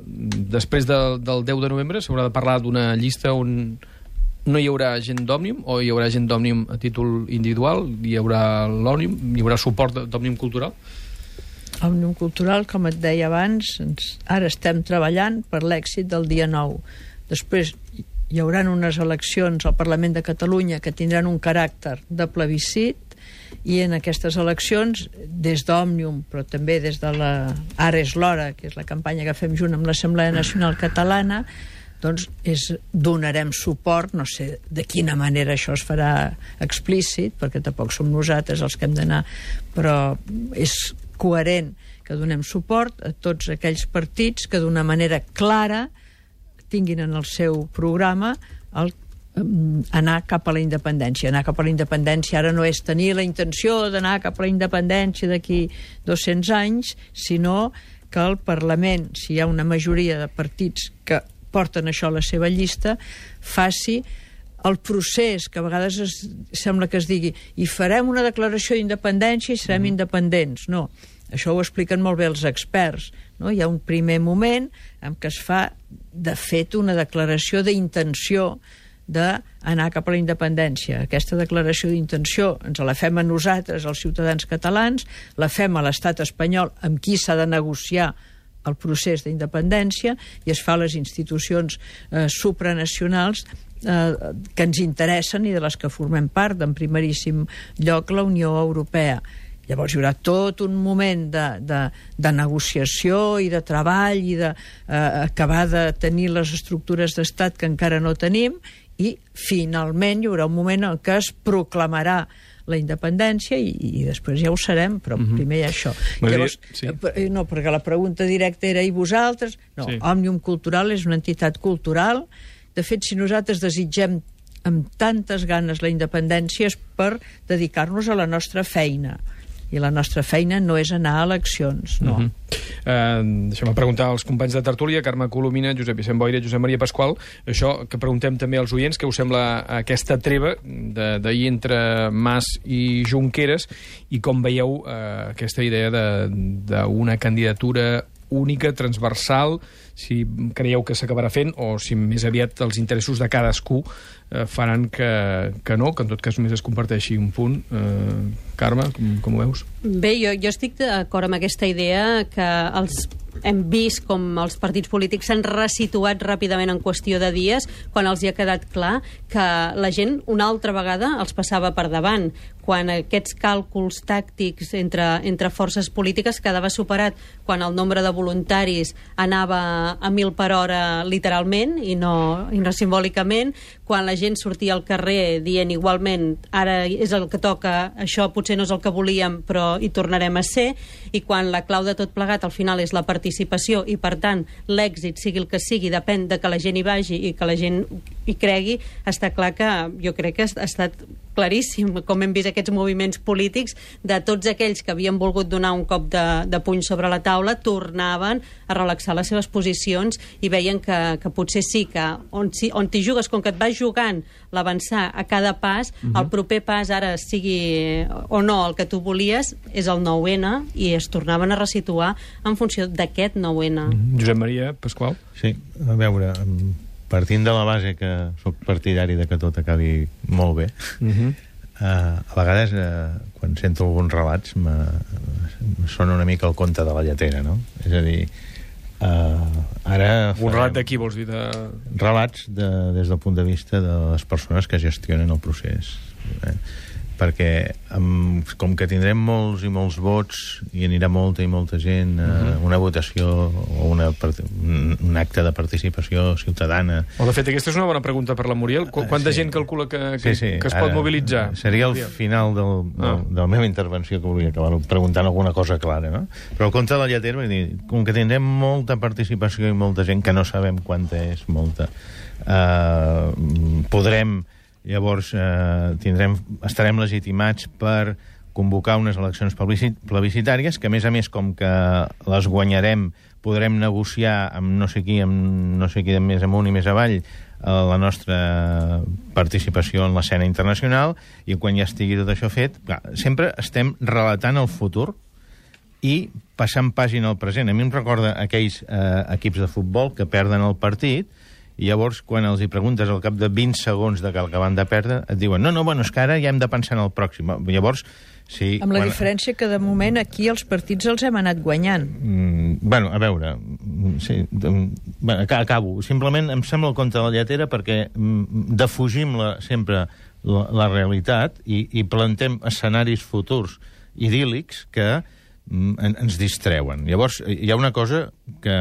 després de, del deu de novembre s'haurà de parlar d'una llista on no hi haurà gent d'Òmnium, o hi haurà gent d'Òmnium a títol individual, hi haurà l'Òmnium, hi haurà suport d'Òmnium Cultural? Òmnium Cultural, com et deia abans, ens, ara estem treballant per l'èxit del dia nou. Després hi haurà unes eleccions al Parlament de Catalunya que tindran un caràcter de plebiscit, i en aquestes eleccions, des d'Òmnium, però també des de la Ara és l'hora, que és la campanya que fem junt amb l'Assemblea Nacional Catalana, doncs és, donarem suport, no sé de quina manera això es farà explícit, perquè tampoc som nosaltres els que hem d'anar, però és coherent que donem suport a tots aquells partits que d'una manera clara tinguin en el seu programa el anar cap a la independència. Anar cap a la independència ara no és tenir la intenció d'anar cap a la independència d'aquí dos-cents anys, sinó que el Parlament, si hi ha una majoria de partits que porten això a la seva llista, faci el procés que a vegades es, sembla que es digui i farem una declaració d'independència i serem mm. independents. No, això ho expliquen molt bé els experts, no? Hi ha un primer moment en què es fa de fet una declaració d'intenció d'anar cap a la independència. Aquesta declaració d'intenció ens la fem a nosaltres, els ciutadans catalans, la fem a l'estat espanyol amb qui s'ha de negociar el procés d'independència i es fa a les institucions eh, supranacionals eh, que ens interessen i de les que formem part, en primeríssim lloc la Unió Europea. Llavors hi haurà tot un moment de, de, de negociació i de treball i d'acabar de, eh, de tenir les estructures d'estat que encara no tenim, i finalment hi haurà un moment en què es proclamarà la independència i, i després ja ho serem, però mm-hmm. primer hi ha això. Llavors, sí. No, perquè la pregunta directa era i vosaltres? No, sí. Òmnium Cultural és una entitat cultural. De fet, si nosaltres desitgem amb tantes ganes la independència és per dedicar-nos a la nostra feina. I la nostra feina no és anar a eleccions, no. Uh-huh. Uh, deixem-me preguntar als companys de tertúlia, Carme Colomina, Josep Vicent Boira, Josep Maria Pasqual, això que preguntem també als oients, què us sembla aquesta treva d'ahir entre Mas i Junqueras, i com veieu uh, aquesta idea d'una candidatura única, transversal, si creieu que s'acabarà fent o si més aviat els interessos de cadascú eh, faran que, que no, que en tot cas només es comparteixi un punt. Eh, Carme, com, com ho veus? Bé, jo, jo estic d'acord amb aquesta idea que els hem vist com els partits polítics s'han resituat ràpidament en qüestió de dies quan els hi ha quedat clar que la gent una altra vegada els passava per davant, quan aquests càlculs tàctics entre, entre forces polítiques quedava superat quan el nombre de voluntaris anava a mil per hora literalment i no, i no simbòlicament, quan la gent sortia al carrer dient igualment ara és el que toca, això potser no és el que volíem però hi tornarem a ser, i quan la clau de tot plegat al final és la participació i per tant l'èxit sigui el que sigui depèn de que la gent hi vagi i que la gent hi cregui, està clar que jo crec que ha estat claríssim com hem vist aquests moviments polítics de tots aquells que havien volgut donar un cop de, de puny sobre la taula tornaven a relaxar les seves posicions i veien que, que potser sí que on, si, on t'hi jugues, com que et vas jugant l'avançar a cada pas, uh-huh. el proper pas ara sigui o no el que tu volies és el nou ene i es tornaven a resituar en funció d'aquest nou ene. Uh-huh. Josep Maria Pasqual? Sí, a veure, partint de la base que sóc partidari de que tot acabi molt bé, uh-huh. uh, a vegades uh, quan sento alguns relats me, me sona una mica el conte de la lletera, no? És a dir, uh, ara... Un relat de qui vols dir? De... Relats de, des del punt de vista de les persones que gestionen el procés. Eh? Perquè amb, com que tindrem molts i molts vots i anirà molta i molta gent a uh-huh. una votació o una, un acte de participació ciutadana... O de fet, aquesta és una bona pregunta per la Muriel. Qu Quanta sí. gent calcula que, que, sí, sí. que es pot Ara, mobilitzar? Seria el final del, del, ah. de la meva intervenció que volia acabar preguntant alguna cosa clara, no? Però el compte de la lletera, vull dir, com que tindrem molta participació i molta gent que no sabem quanta és, molta, eh, podrem... Llavors eh, tindrem, estarem legitimats per convocar unes eleccions plebiscitàries que, a més a més, com que les guanyarem, podrem negociar amb no sé qui, amb no sé qui de més amunt i més avall, eh, la nostra participació en l'escena internacional, i quan ja estigui tot això fet, clar, sempre estem relatant el futur i passant pàgina al present. A mi em recorda aquells eh, equips de futbol que perden el partit, i llavors, quan els hi preguntes al cap de vint segons de que el que van de perdre, et diuen, no, no, bueno, és que ara ja hem de pensar en el pròxim. Llavors, sí... Amb la quan... diferència que, de moment, aquí els partits els hem anat guanyant. Mm, bueno, a veure... Sí, bueno, acabo. Simplement em sembla el conte de la lletera perquè defugim la, sempre la, la realitat i, i plantem escenaris futurs idíl·lics que mm, en, ens distreuen. Llavors, hi ha una cosa que...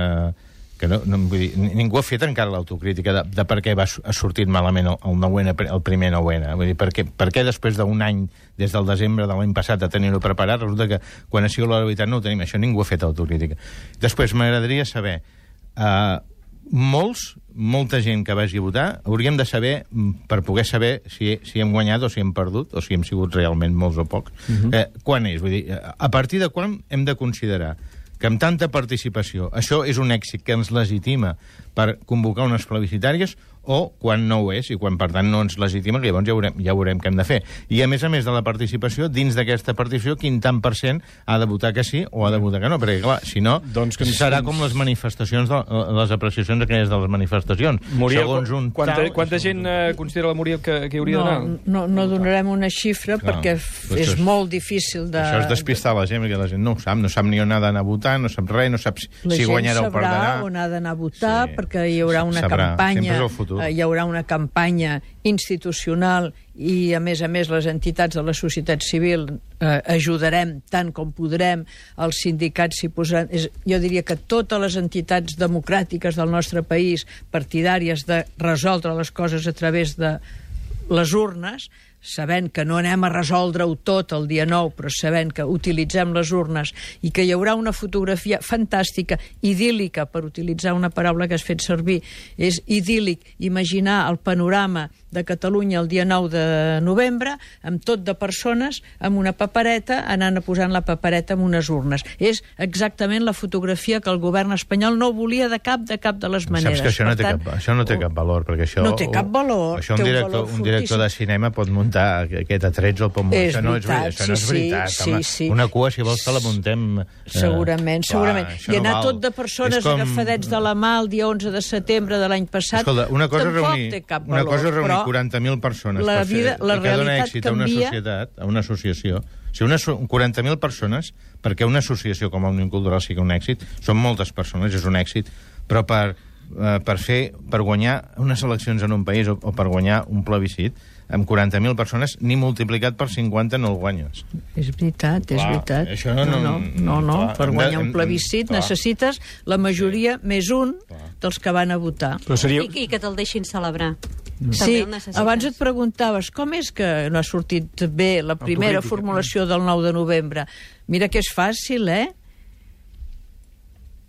que no, no, vull dir, ningú ha fet encara l'autocrítica de, de per què va, ha sortit malament el, el, nou ene, el primer nou ene. Vull dir, per què, per què després d'un any, des del desembre de l'any passat, de tenir-ho preparat, resulta que quan ha sigut la veritat no ho tenim. Això ningú ha fet autocrítica. Després, m'agradaria saber, uh, molts, molta gent que vagi a votar, hauríem de saber, per poder saber si, si hem guanyat o si hem perdut, o si hem sigut realment molts o pocs, uh-huh. eh, quan és? Vull dir, a partir de quan hem de considerar que amb tanta participació això és un èxit que ens legitima per convocar unes plebiscitàries o quan no ho és i quan, per tant, no ens legitima, que llavors ja veurem, ja veurem què hem de fer. I, a més a més de la participació, dins d'aquesta participació, quin tant per cent ha de votar que sí o ha de votar que no, perquè, clar, si no, doncs que serà com les manifestacions, de, les apreciacions aquelles de les manifestacions. Muriel, segons un quanta, tal... Quanta gent eh, considera la Muriel que, que hauria no, d'anar? No, no donarem una xifra, clar, perquè és és, molt difícil de... Això és despistar la gent, perquè la gent no ho sap, no sap ni on ha d'anar a votar, no sap res, no sap si, si guanyarà o perdrà. La gent sabrà on ha d'anar a votar, sí, perquè hi haurà una sabrà. campanya futur. Hi haurà una campanya institucional i, a més a més, les entitats de la societat civil eh, ajudarem tant com podrem, els sindicats s'hi posaran... És, jo diria que totes les entitats democràtiques del nostre país, partidàries de resoldre les coses a través de les urnes, sabent que no anem a resoldre-ho tot el dia nou, però sabent que utilitzem les urnes i que hi haurà una fotografia fantàstica, idíl·lica, per utilitzar una paraula que has fet servir, és idíl·lic imaginar el panorama de Catalunya el dia nou de novembre, amb tot de persones, amb una papereta, anant a posant la papereta en unes urnes. És exactament la fotografia que el govern espanyol no volia de cap de cap de les maneres. Saps que això no, té, tant, cap, això no té cap valor, perquè això... No té cap valor. Això un, té director, un, un director de cinema pot muntar aquest atrets al pot muntar. És això no veritat, és, això no és sí, veritat. sí, home. sí. Una cua, si vols, te la muntem... Eh, segurament, segurament. Clar, I anar no tot de persones com... agafadets de la mà el dia onze de setembre de l'any passat, Escolta, una cosa tampoc reunir, té cap una valor. cosa reunir però quaranta mil persones la per vida, fer, la que dona realitat èxit a una canvia. societat, a una associació. Si una, quaranta mil persones, perquè una associació com Òmnium Cultural sigui un èxit, són moltes persones, és un èxit, però per, eh, per fer, per guanyar unes eleccions en un país o, o per guanyar un plebiscit, amb quaranta mil persones, ni multiplicat per cinquanta no el guanyes. És veritat, és Clar, veritat. això no- no, no, no, no. clar, per hem de- guanyar un hem- plebiscit clar. necessites la majoria més un dels que van a votar. Però seria... I, I que te'l deixin celebrar. Sí, També el necessites. abans et preguntaves com és que no ha sortit bé la primera Autocrítica. formulació del nou de novembre. Mira que és fàcil, eh?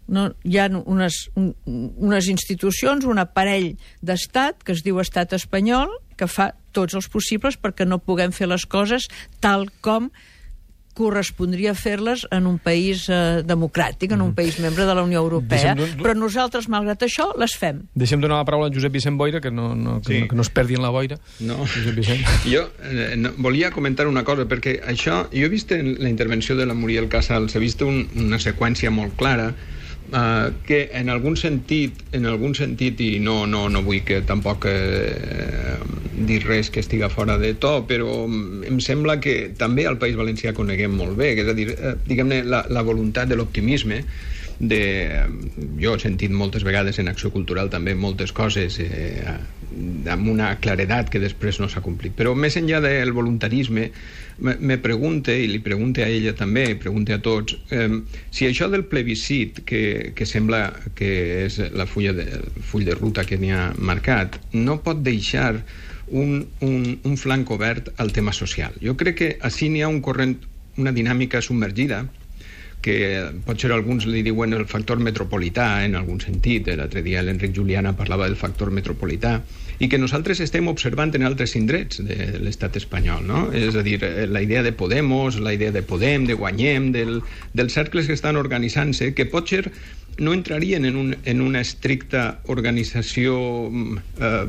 No, hi ha unes, un, unes institucions, un aparell d'estat que es diu estat espanyol, que fa tots els possibles perquè no puguem fer les coses tal com correspondria fer-les en un país eh, democràtic, en un país membre de la Unió Europea. Deixa'm- Però nosaltres, malgrat això, les fem. Deixem donar la paraula a en Josep Vicent Boira, que no, no, que, Sí. no, que no es perdi en la boira. No. Josep Vicent. Jo eh, no, volia comentar una cosa, perquè això, jo he vist en la intervenció de la Muriel Casals, he vist un, una seqüència molt clara, Uh, que en algun sentit, en algun sentit i no, no, no vull que tampoc eh, dir res que estiga fora de to, però em sembla que també al País Valencià coneguem molt bé, que és a dir, eh, diguem-ne, la, la voluntat de l'optimisme, de, jo he sentit moltes vegades en Acció Cultural també moltes coses eh, amb una claredat que després no s'ha complit, però més enllà del voluntarisme me, me pregunte, i li pregunte a ella també, i pregunte a tots, eh, si això del plebiscit, que, que sembla que és la fulla de, el full de ruta que n'hi ha marcat, no pot deixar un, un, un flanc obert al tema social. Jo crec que així n'hi ha un corrent, una dinàmica submergida, que potser alguns li diuen el factor metropolità en algun sentit, l'altre dia l'Enric Juliana parlava del factor metropolità, i que nosaltres estem observant en altres indrets de l'estat espanyol, no? És a dir, la idea de Podemos, la idea de Podem, de Guanyem, del, dels cercles que estan organitzant-se, que potser no entrarien en, un, en una estricta organització eh,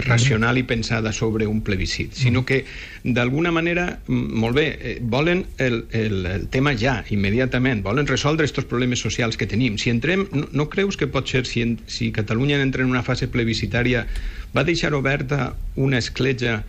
racional i pensada sobre un plebiscit, sinó que d'alguna manera, molt bé, eh, volen el, el, el tema ja, immediatament, volen resoldre aquests problemes socials que tenim. Si entrem, no, no creus que pot ser, si, en, si Catalunya entra en una fase plebiscitària, va deixar oberta una escletxa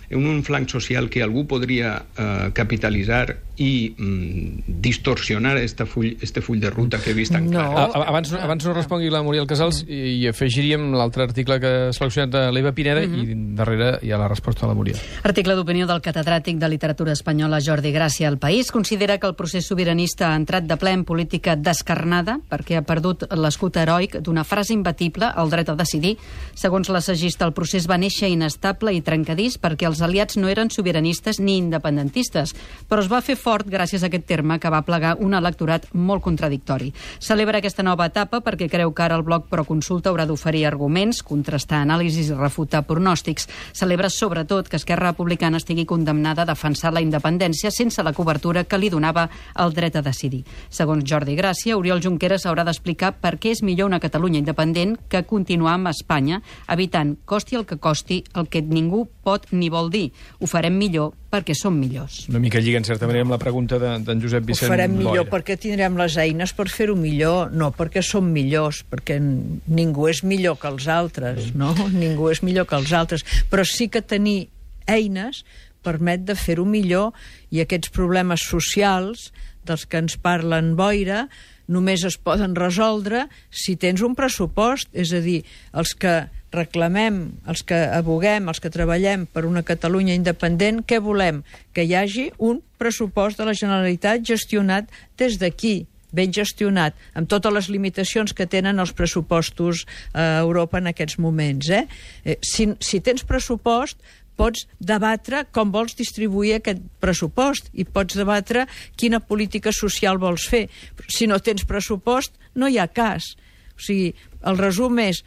en un flanc social que algú podria eh, capitalitzar i mm, distorsionar este full, este full de ruta que he vist tan clar. A, abans, abans no respongui la Muriel Casals i, i afegiríem l'altre article que ha seleccionat de l'Eva Pineda uh -huh. i darrere hi ha la resposta de la Muriel. Article d'opinió del catedràtic de literatura espanyola Jordi Gràcia. El País considera que el procés sobiranista ha entrat de ple en política descarnada perquè ha perdut l'escut heroic d'una frase imbatible, el dret a decidir. Segons l'assagista, el procés va néixer inestable i trencadís perquè els aliats no eren sobiranistes ni independentistes, però es va fer fort gràcies a aquest terme que va plegar un electorat molt contradictori. Celebra aquesta nova etapa perquè creu que ara el bloc Proconsulta haurà d'oferir arguments, contrastar anàlisis i refutar pronòstics. Celebra sobretot que Esquerra Republicana estigui condemnada a defensar la independència sense la cobertura que li donava el dret a decidir. Segons Jordi Gràcia, Oriol Junqueras haurà d'explicar per què és millor una Catalunya independent que continuar amb Espanya, evitant, costi el que costi, el que ningú pot ni vol dir. Ho farem millor perquè som millors. Una mica lliga, en certa manera, amb la pregunta d'en de, Josep Vicent Ho farem millor Boira. perquè tindrem les eines per fer-ho millor, no perquè som millors, perquè ningú és millor que els altres, no? Ningú és millor que els altres, però sí que tenir eines permet de fer-ho millor i aquests problemes socials dels que ens parlen Boira només es poden resoldre si tens un pressupost, és a dir, els que reclamem, els que aboguem, els que treballem per una Catalunya independent, què volem? Que hi hagi un pressupost de la Generalitat gestionat des d'aquí, ben gestionat, amb totes les limitacions que tenen els pressupostos a Europa en aquests moments. Eh? Eh, si, si tens pressupost, pots debatre com vols distribuir aquest pressupost i pots debatre quina política social vols fer. Si no tens pressupost, no hi ha cas. O sigui, el resum és: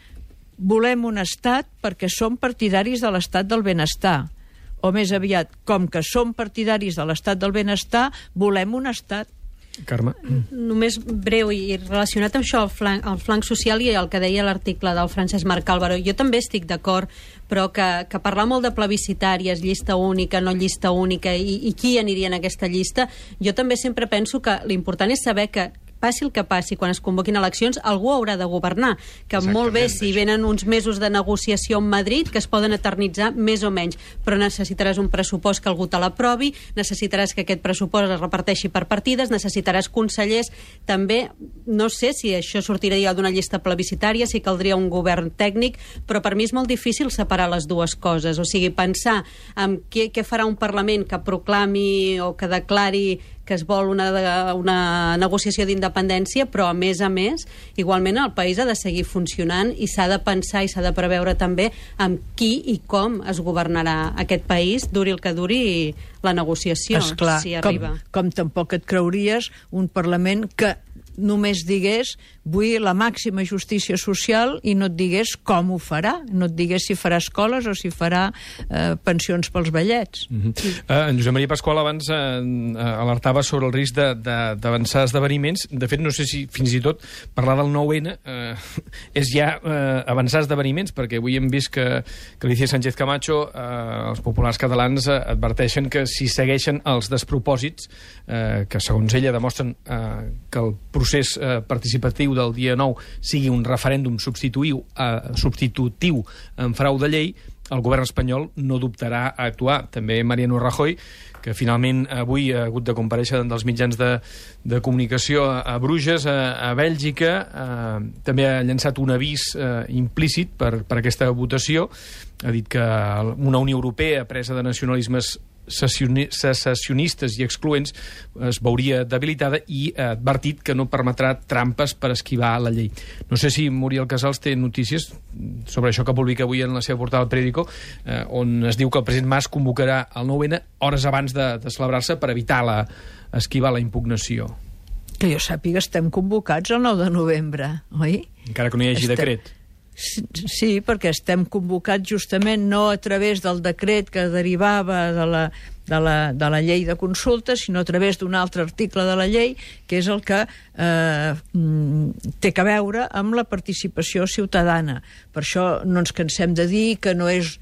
volem un estat perquè som partidaris de l'estat del benestar. O més aviat, com que som partidaris de l'estat del benestar, volem un estat. Carme? Només breu i relacionat amb això, el flanc, el flanc social i el que deia l'article del Francesc Marc Álvaro. Jo també estic d'acord, però que, que parlar molt de plebiscitàries, llista única, no llista única, i, i qui aniria en aquesta llista, jo també sempre penso que l'important és saber que passi el que passi, quan es convoquin eleccions, algú haurà de governar. Que molt bé, si venen uns mesos de negociació amb Madrid, que es poden eternitzar més o menys, però necessitaràs un pressupost que algú te l'aprovi, necessitaràs que aquest pressupost es reparteixi per partides, necessitaràs consellers, també, no sé si això sortiria d'una llista plebiscitària, si caldria un govern tècnic, però per mi és molt difícil separar les dues coses, o sigui, pensar en què, què farà un Parlament que proclami o que declari que es vol una, una negociació d'independència, però a més a més, igualment el país ha de seguir funcionant i s'ha de pensar i s'ha de preveure també amb qui i com es governarà aquest país, duri el que duri la negociació, esclar, si arriba. Com, com tampoc et creuries un Parlament que només digués vull la màxima justícia social i no et digués com ho farà, no et digués si farà escoles o si farà eh, pensions pels vellets. Mm-hmm. sí. uh, en Josep Maria Pasqual abans uh, alertava sobre el risc d'avançar esdeveniments. De fet, no sé si fins i tot parlar del nou ene uh, és ja uh, avançar esdeveniments, perquè avui hem vist que, que Alicia Sánchez Camacho, uh, els populars catalans, uh, adverteixen que si segueixen els despropòsits uh, que segons ella demostren uh, que el procés uh, participatiu del dia nou sigui un referèndum substitutiu, uh, substitutiu en frau de llei, el govern espanyol no dubtarà a actuar. També Mariano Rajoy, que finalment avui ha hagut de comparèixer dels mitjans de, de comunicació a, a Bruges, a, a Bèlgica, eh, també ha llançat un avís eh, implícit per, per aquesta votació. Ha dit que una Unió Europea presa de nacionalismes secessionistes i excloents es veuria debilitada i ha advertit que no permetrà trampes per esquivar la llei. No sé si Muriel Casals té notícies sobre això que publica avui en la seva portada al Periódico, eh, on es diu que el president Mas convocarà el nou ene hores abans de, de celebrar-se per evitar la, esquivar la impugnació. Que jo sàpiga, estem convocats el nou de novembre, oi? Encara que no hi hagi estem... decret. Sí, sí, perquè estem convocats justament no a través del decret que derivava de la, de la, de la llei de consulta, sinó a través d'un altre article de la llei, que és el que eh, té a veure amb la participació ciutadana. Per això no ens cansem de dir que no és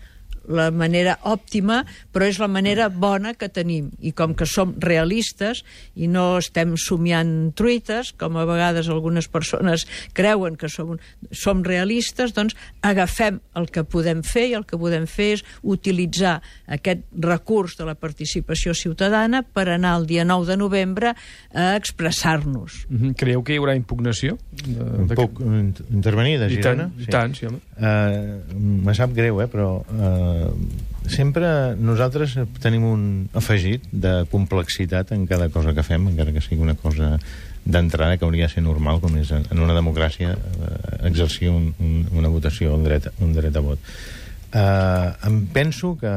la manera òptima, però és la manera bona que tenim. I com que som realistes i no estem somiant truites, com a vegades algunes persones creuen que som, som realistes, doncs agafem el que podem fer, i el que podem fer és utilitzar aquest recurs de la participació ciutadana per anar el dia nou de novembre a expressar-nos. Mm-hmm. Creieu que hi haurà impugnació? De, de Puc que... intervenir, de Girona? I tant, sí. tant sí, home. Uh, me sap greu, eh, però... Uh, sempre nosaltres tenim un afegit de complexitat en cada cosa que fem, encara que sigui una cosa d'entrada que hauria de ser normal, com és en una democràcia exercir un, un, una votació, un dret, un dret a vot. Uh, em penso que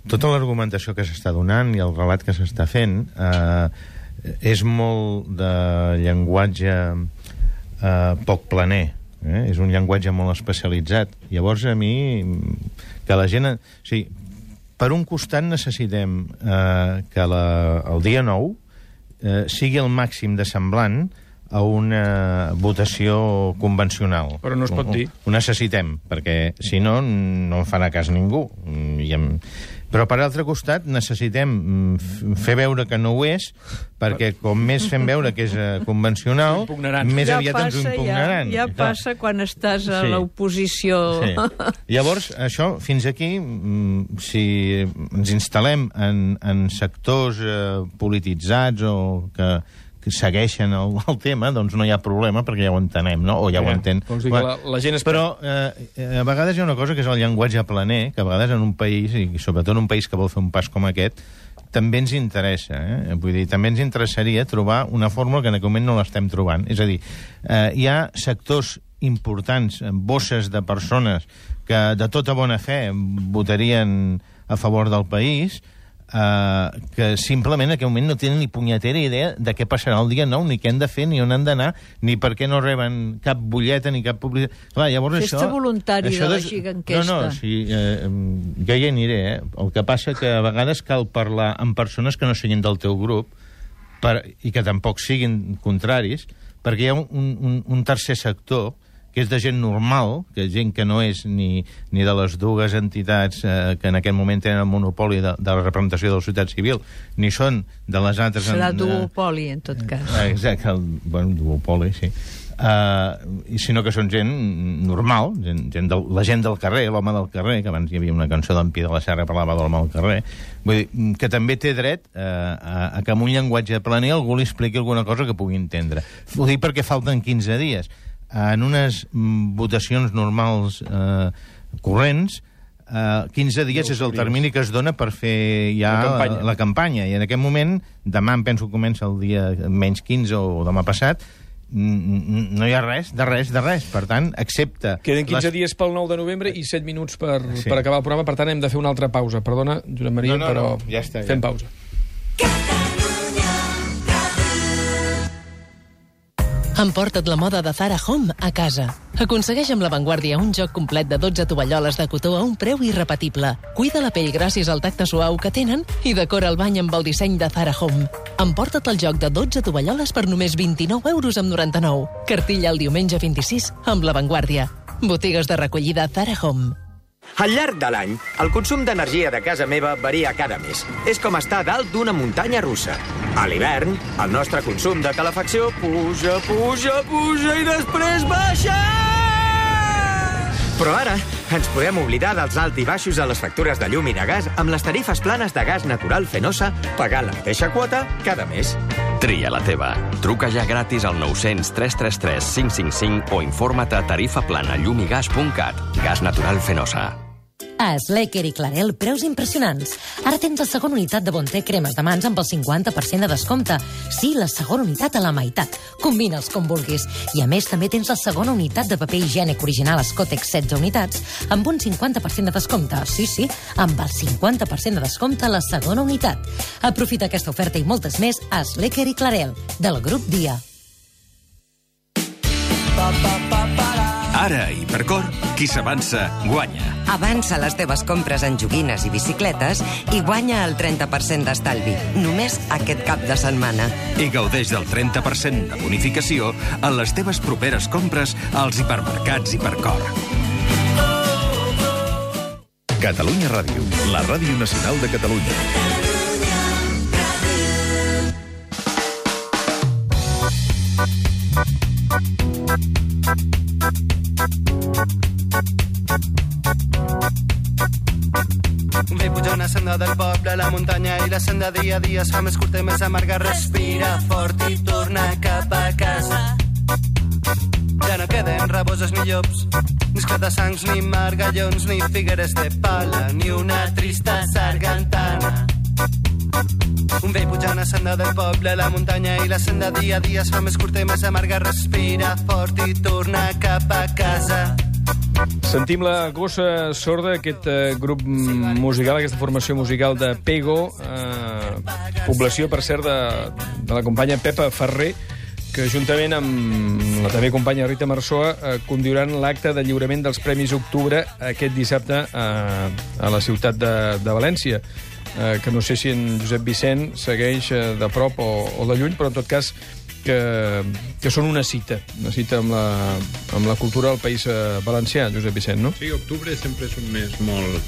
tota l'argumentació que s'està donant i el relat que s'està fent uh, és molt de llenguatge uh, poc planer. Eh? És un llenguatge molt especialitzat. Llavors, a mi, que la gent... O sigui, per un costat necessitem eh, que la, el dia nou eh, sigui el màxim de semblant a una votació convencional. Però no es pot dir. Ho necessitem, perquè si no, no en farà cas ningú. I em... Però, per altre costat, necessitem fer veure que no ho és, perquè com més fem veure que és uh, convencional, més ja aviat passa, ens ho impugnaran. Ja, ja passa quan estàs a sí. l'oposició. Sí. Llavors, això, fins aquí, si ens instal·lem en, en sectors uh, polititzats o que, segueixen el, el tema, doncs no hi ha problema, perquè ja ho entenem, no? O ja, ja ho entén. La, la gent és... Però eh, a vegades hi ha una cosa que és el llenguatge planer, que a vegades en un país, i sobretot en un país que vol fer un pas com aquest, també ens interessa, eh? Vull dir, també ens interessaria trobar una fórmula que en aquest moment no l'estem trobant. És a dir, eh, hi ha sectors importants, bosses de persones que de tota bona fe votarien a favor del país, Uh, que simplement en aquell moment no tenen ni punyetera idea de què passarà el dia nou, ni què han de fer, ni on han d'anar, ni per què no reben cap butlleta ni cap publicitat. Clar, llavors Festa això... voluntari això de la des... giganquesta. No, no, sí, eh, jo hi aniré, eh? El que passa que a vegades cal parlar amb persones que no siguin del teu grup per... i que tampoc siguin contraris, perquè hi ha un, un, un tercer sector que és de gent normal, que és gent que no és ni, ni de les dues entitats eh, que en aquest moment tenen el monopoli de, de la representació de la societat civil, ni són de les altres... Serà en, duopoli, en tot cas. Eh, exacte, el, bueno, duopoli, sí. Uh, sinó que són gent normal, gent, gent del, la gent del carrer, l'home del carrer, que abans hi havia una cançó d'en Pi de la Serra que parlava de l'home del carrer, vull dir, que també té dret uh, a, a que amb un llenguatge planer algú li expliqui alguna cosa que pugui entendre. Ho dic perquè falten quinze dies. En unes mm, votacions normals eh, corrents, eh, quinze dies és el termini que es dona per fer ja la campanya. La, la campanya. I en aquest moment, demà em penso que comença el dia menys quinze o demà passat, no hi ha res, de res, de res. Per tant, excepte... Queden quinze les... dies pel nou de novembre i set minuts per, sí. per acabar el programa, per tant hem de fer una altra pausa. Perdona, Josep Maria, no, no, però no, ja està, fem ja. pausa. Emporta't la moda de Zara Home a casa. Aconsegueix amb l'avantguàrdia un joc complet de dotze tovalloles de cotó a un preu irrepetible. Cuida la pell gràcies al tacte suau que tenen i decora el bany amb el disseny de Zara Home. Emporta't el joc de dotze tovalloles per només vint-i-nou euros amb noranta-nou. Cartilla el diumenge vint-i-sis amb l'avantguàrdia. Botigues de recollida Zara Home. Al llarg de l'any, el consum d'energia de casa meva varia cada mes. És com estar dalt d'una muntanya russa. A l'hivern, el nostre consum de calefacció puja, puja, puja i després baixa! Però ara ens podem oblidar dels alt i baixos a les factures de llum i de gas amb les tarifes planes de gas natural Fenosa, pagant la mateixa quota cada mes. Tria la teva. Truca ja gratis al nou cents tres tres tres cinc cinc cinc o informa't a tarifaplana llumigas punt cat. Gas natural Fenosa. A Slecker i Clarel, preus impressionants. Ara tens la segona unitat de Bonté cremes de mans amb el cinquanta per cent de descompte. Sí, la segona unitat a la meitat. Combina'ls com vulguis. I a més també tens la segona unitat de paper higiènic original Scotex setze unitats amb un cinquanta per cent de descompte. Sí, sí, amb el cinquanta per cent de descompte a la segona unitat. Aprofita aquesta oferta i moltes més a Slecker i Clarel, del grup Dia. Ara, Hipercor, qui s'avança, guanya. Avança les teves compres en joguines i bicicletes i guanya el trenta per cent d'estalvi, només aquest cap de setmana. I gaudeix del trenta per cent de bonificació en les teves properes compres als hipermercats Hipercor. Catalunya Ràdio, la ràdio nacional de Catalunya. Un vell puja una senda del poble, la muntanya i la senda dia a dia es fa més curta i més amarga. Respira fort i torna cap a casa. Ja no queden raboses ni llops, ni esclata-sangs, ni margallons, ni figueres de pala, ni una trista sargantana. Un vell puja una senda del poble, la muntanya i la senda dia a dia es fa més curta i més amarga. Respira fort i torna cap a casa. Sentim la gossa sorda, aquest eh, grup musical, aquesta formació musical de Pego, eh, població, per cert, de, de la companya Pepa Ferrer, que juntament amb la també companya Rita Marzoa eh, conduiran l'acte de lliurament dels Premis Octubre aquest dissabte eh, a la ciutat de, de València, eh, que no sé si en Josep Vicent segueix eh, de prop o, o de lluny, però en tot cas que, que són una cita, una cita amb la, amb la cultura del país valencià, Josep Vicent, no? Sí, octubre sempre és un mes molt,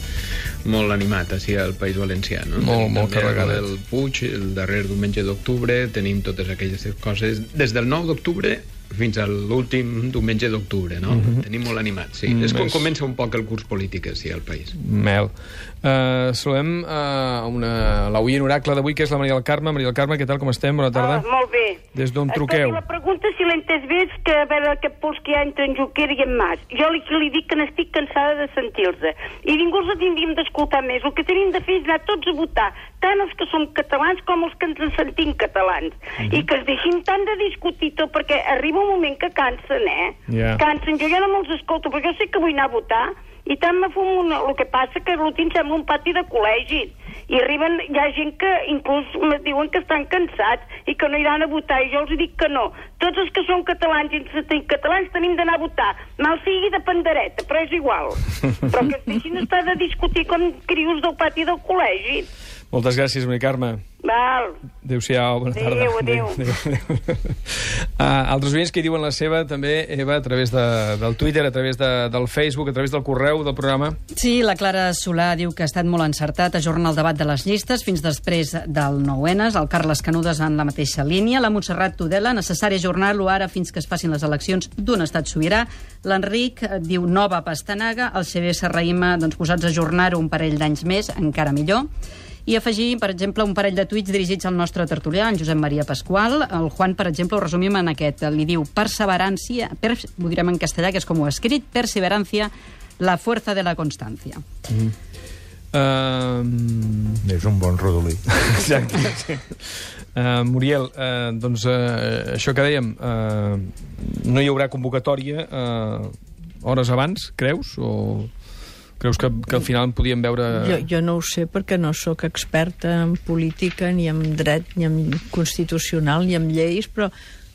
molt animat, així, al País Valencià, no? Molt, tenim molt carregat. El Puig, el darrer diumenge d'octubre, tenim totes aquelles coses. Des del nou d'octubre fins a l'últim diumenge d'octubre, no? Mm-hmm. Tenim molt animats, sí. Mm, és quan comença un poc el curs polític, sí, al país. Mel. Uh, saludem uh, una, l'oient oracle d'avui, que és la Maria del Carme. Maria del Carme, què tal, com estem? Bona tarda. Ah, molt bé. Des d'on truqueu? Escolti, la pregunta, si l'he entès bé, és que a veure què pols que hi ha entre en Junquera i en Mas. Jo li, li dic que n'estic cansada de sentir-los. I ningú els tindríem d'escoltar més. El que tenim de fer és anar tots a votar, tant els que som catalans com els que ens en sentim catalans. Mm-hmm. I que es deixin tant de discutir tot, perquè arriba un moment que cansen, eh? Yeah. Cansen. Jo ja no me'ls escolto, perquè jo sé que vull anar a votar, i tant me fumo una... El que passa que l'últim sembla un pati de col·legi. I arriben, hi ha gent que inclús me diuen que estan cansats i que no iran a votar, i jo els dic que no. Tots els que som catalans i ens catalans tenim d'anar a votar. Mal sigui de pandereta, però és igual. Però que es deixin estar de discutir com crios del pati del col·legi. Moltes gràcies, Maria Carme. Val. Adéu-siau, bona tarda. Adéu, adéu. adéu, adéu. Uh, altres oients que hi diuen la seva també, Eva, a través de, del Twitter, a través de, del Facebook, a través del correu del programa. Sí, la Clara Solà diu que ha estat molt encertat ajornar el debat de les llistes fins després del nou ene. El Carles Canudes en la mateixa línia. La Montserrat Tudela, necessari ajornar-lo ara fins que es facin les eleccions d'un estat sobirà. L'Enric diu nova pastanaga. El C B S Raïma, doncs, posats a ajornar-ho un parell d'anys més, encara millor. I afegir, per exemple, un parell de tuits dirigits al nostre tertulià, en Josep Maria Pasqual. El Juan, per exemple, ho resumim en aquest. Li diu perseverancia, per, ho direm en castellà, que és com ho ha escrit, perseverancia, la fuerza de la constancia. Mm. Uh... És un bon rodolí. Exacte, sí. Uh, Muriel, uh, doncs uh, això que dèiem, uh, no hi haurà convocatòria uh, hores abans, creus? O... Creus que, que al final en podíem veure... Jo, jo no ho sé perquè no sóc experta en política, ni en dret, ni en constitucional, ni en lleis, però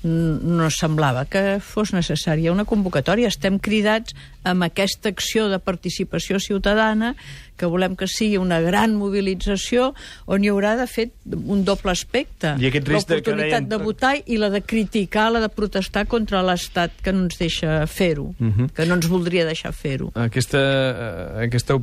no semblava que fos necessària una convocatòria. Estem cridats amb aquesta acció de participació ciutadana, que volem que sigui una gran mobilització, on hi haurà, de fet, un doble aspecte. L'oportunitat de votar i la de criticar, la de protestar contra l'Estat que no ens deixa fer-ho, uh-huh. que no ens voldria deixar fer-ho. Aquesta, aquesta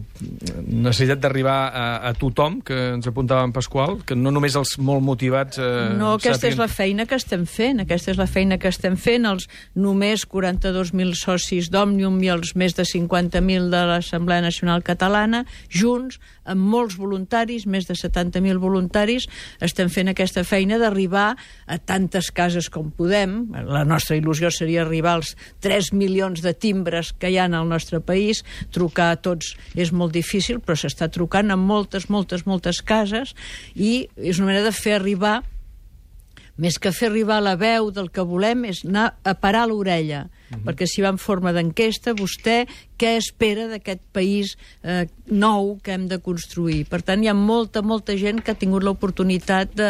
necessitat d'arribar a, a tothom, que ens apuntava en Pasqual, que no només els molt motivats... Eh, no, aquesta sàpiguen... és la feina que estem fent, aquesta és la feina que estem fent, els només quaranta-dos mil socis d'Òmnium i els més de cinquanta mil de l'Assemblea Nacional Catalana, junts, amb molts voluntaris, més de setanta mil voluntaris, estem fent aquesta feina d'arribar a tantes cases com podem. La nostra il·lusió seria arribar als tres milions de timbres que hi ha al nostre país. Trucar a tots és molt difícil, però s'està trucant a moltes, moltes, moltes cases, i és una manera de fer arribar, més que fer arribar la veu del que volem, és anar a parar l'orella. Uh-huh. Perquè si va en forma d'enquesta, vostè què espera d'aquest país eh, nou que hem de construir? Per tant, hi ha molta, molta gent que ha tingut l'oportunitat de,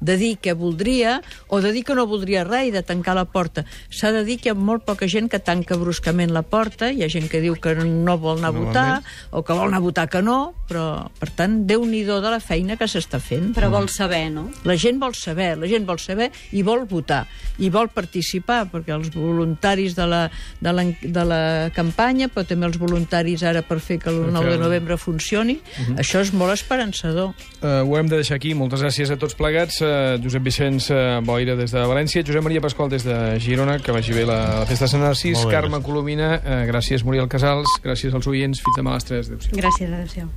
de dir que voldria, o de dir que no voldria res i de tancar la porta. S'ha de dir que hi ha molt poca gent que tanca bruscament la porta, hi ha gent que diu que no vol anar a votar, o que vol anar a votar que no, però, per tant, Déu-n'hi-do de la feina que s'està fent. Però vol saber, no? La gent vol saber, la gent vol saber i vol votar, i vol participar, perquè els voluntaris de la, de la, de la campanya, però també els voluntaris ara per fer que el nou de novembre funcioni, uh-huh. això és molt esperançador. Uh, ho hem de deixar aquí. Moltes gràcies a tots plegats. Uh, Josep Vicenç uh, Boira des de València, Josep Maria Pasqual des de Girona, que vagi bé la, la festa de Sant Narcís, Carme Colomina, uh, gràcies Muriel Casals, gràcies als oients, fins demà a les tres. Adéu-siau. Gràcies, adéu-siau.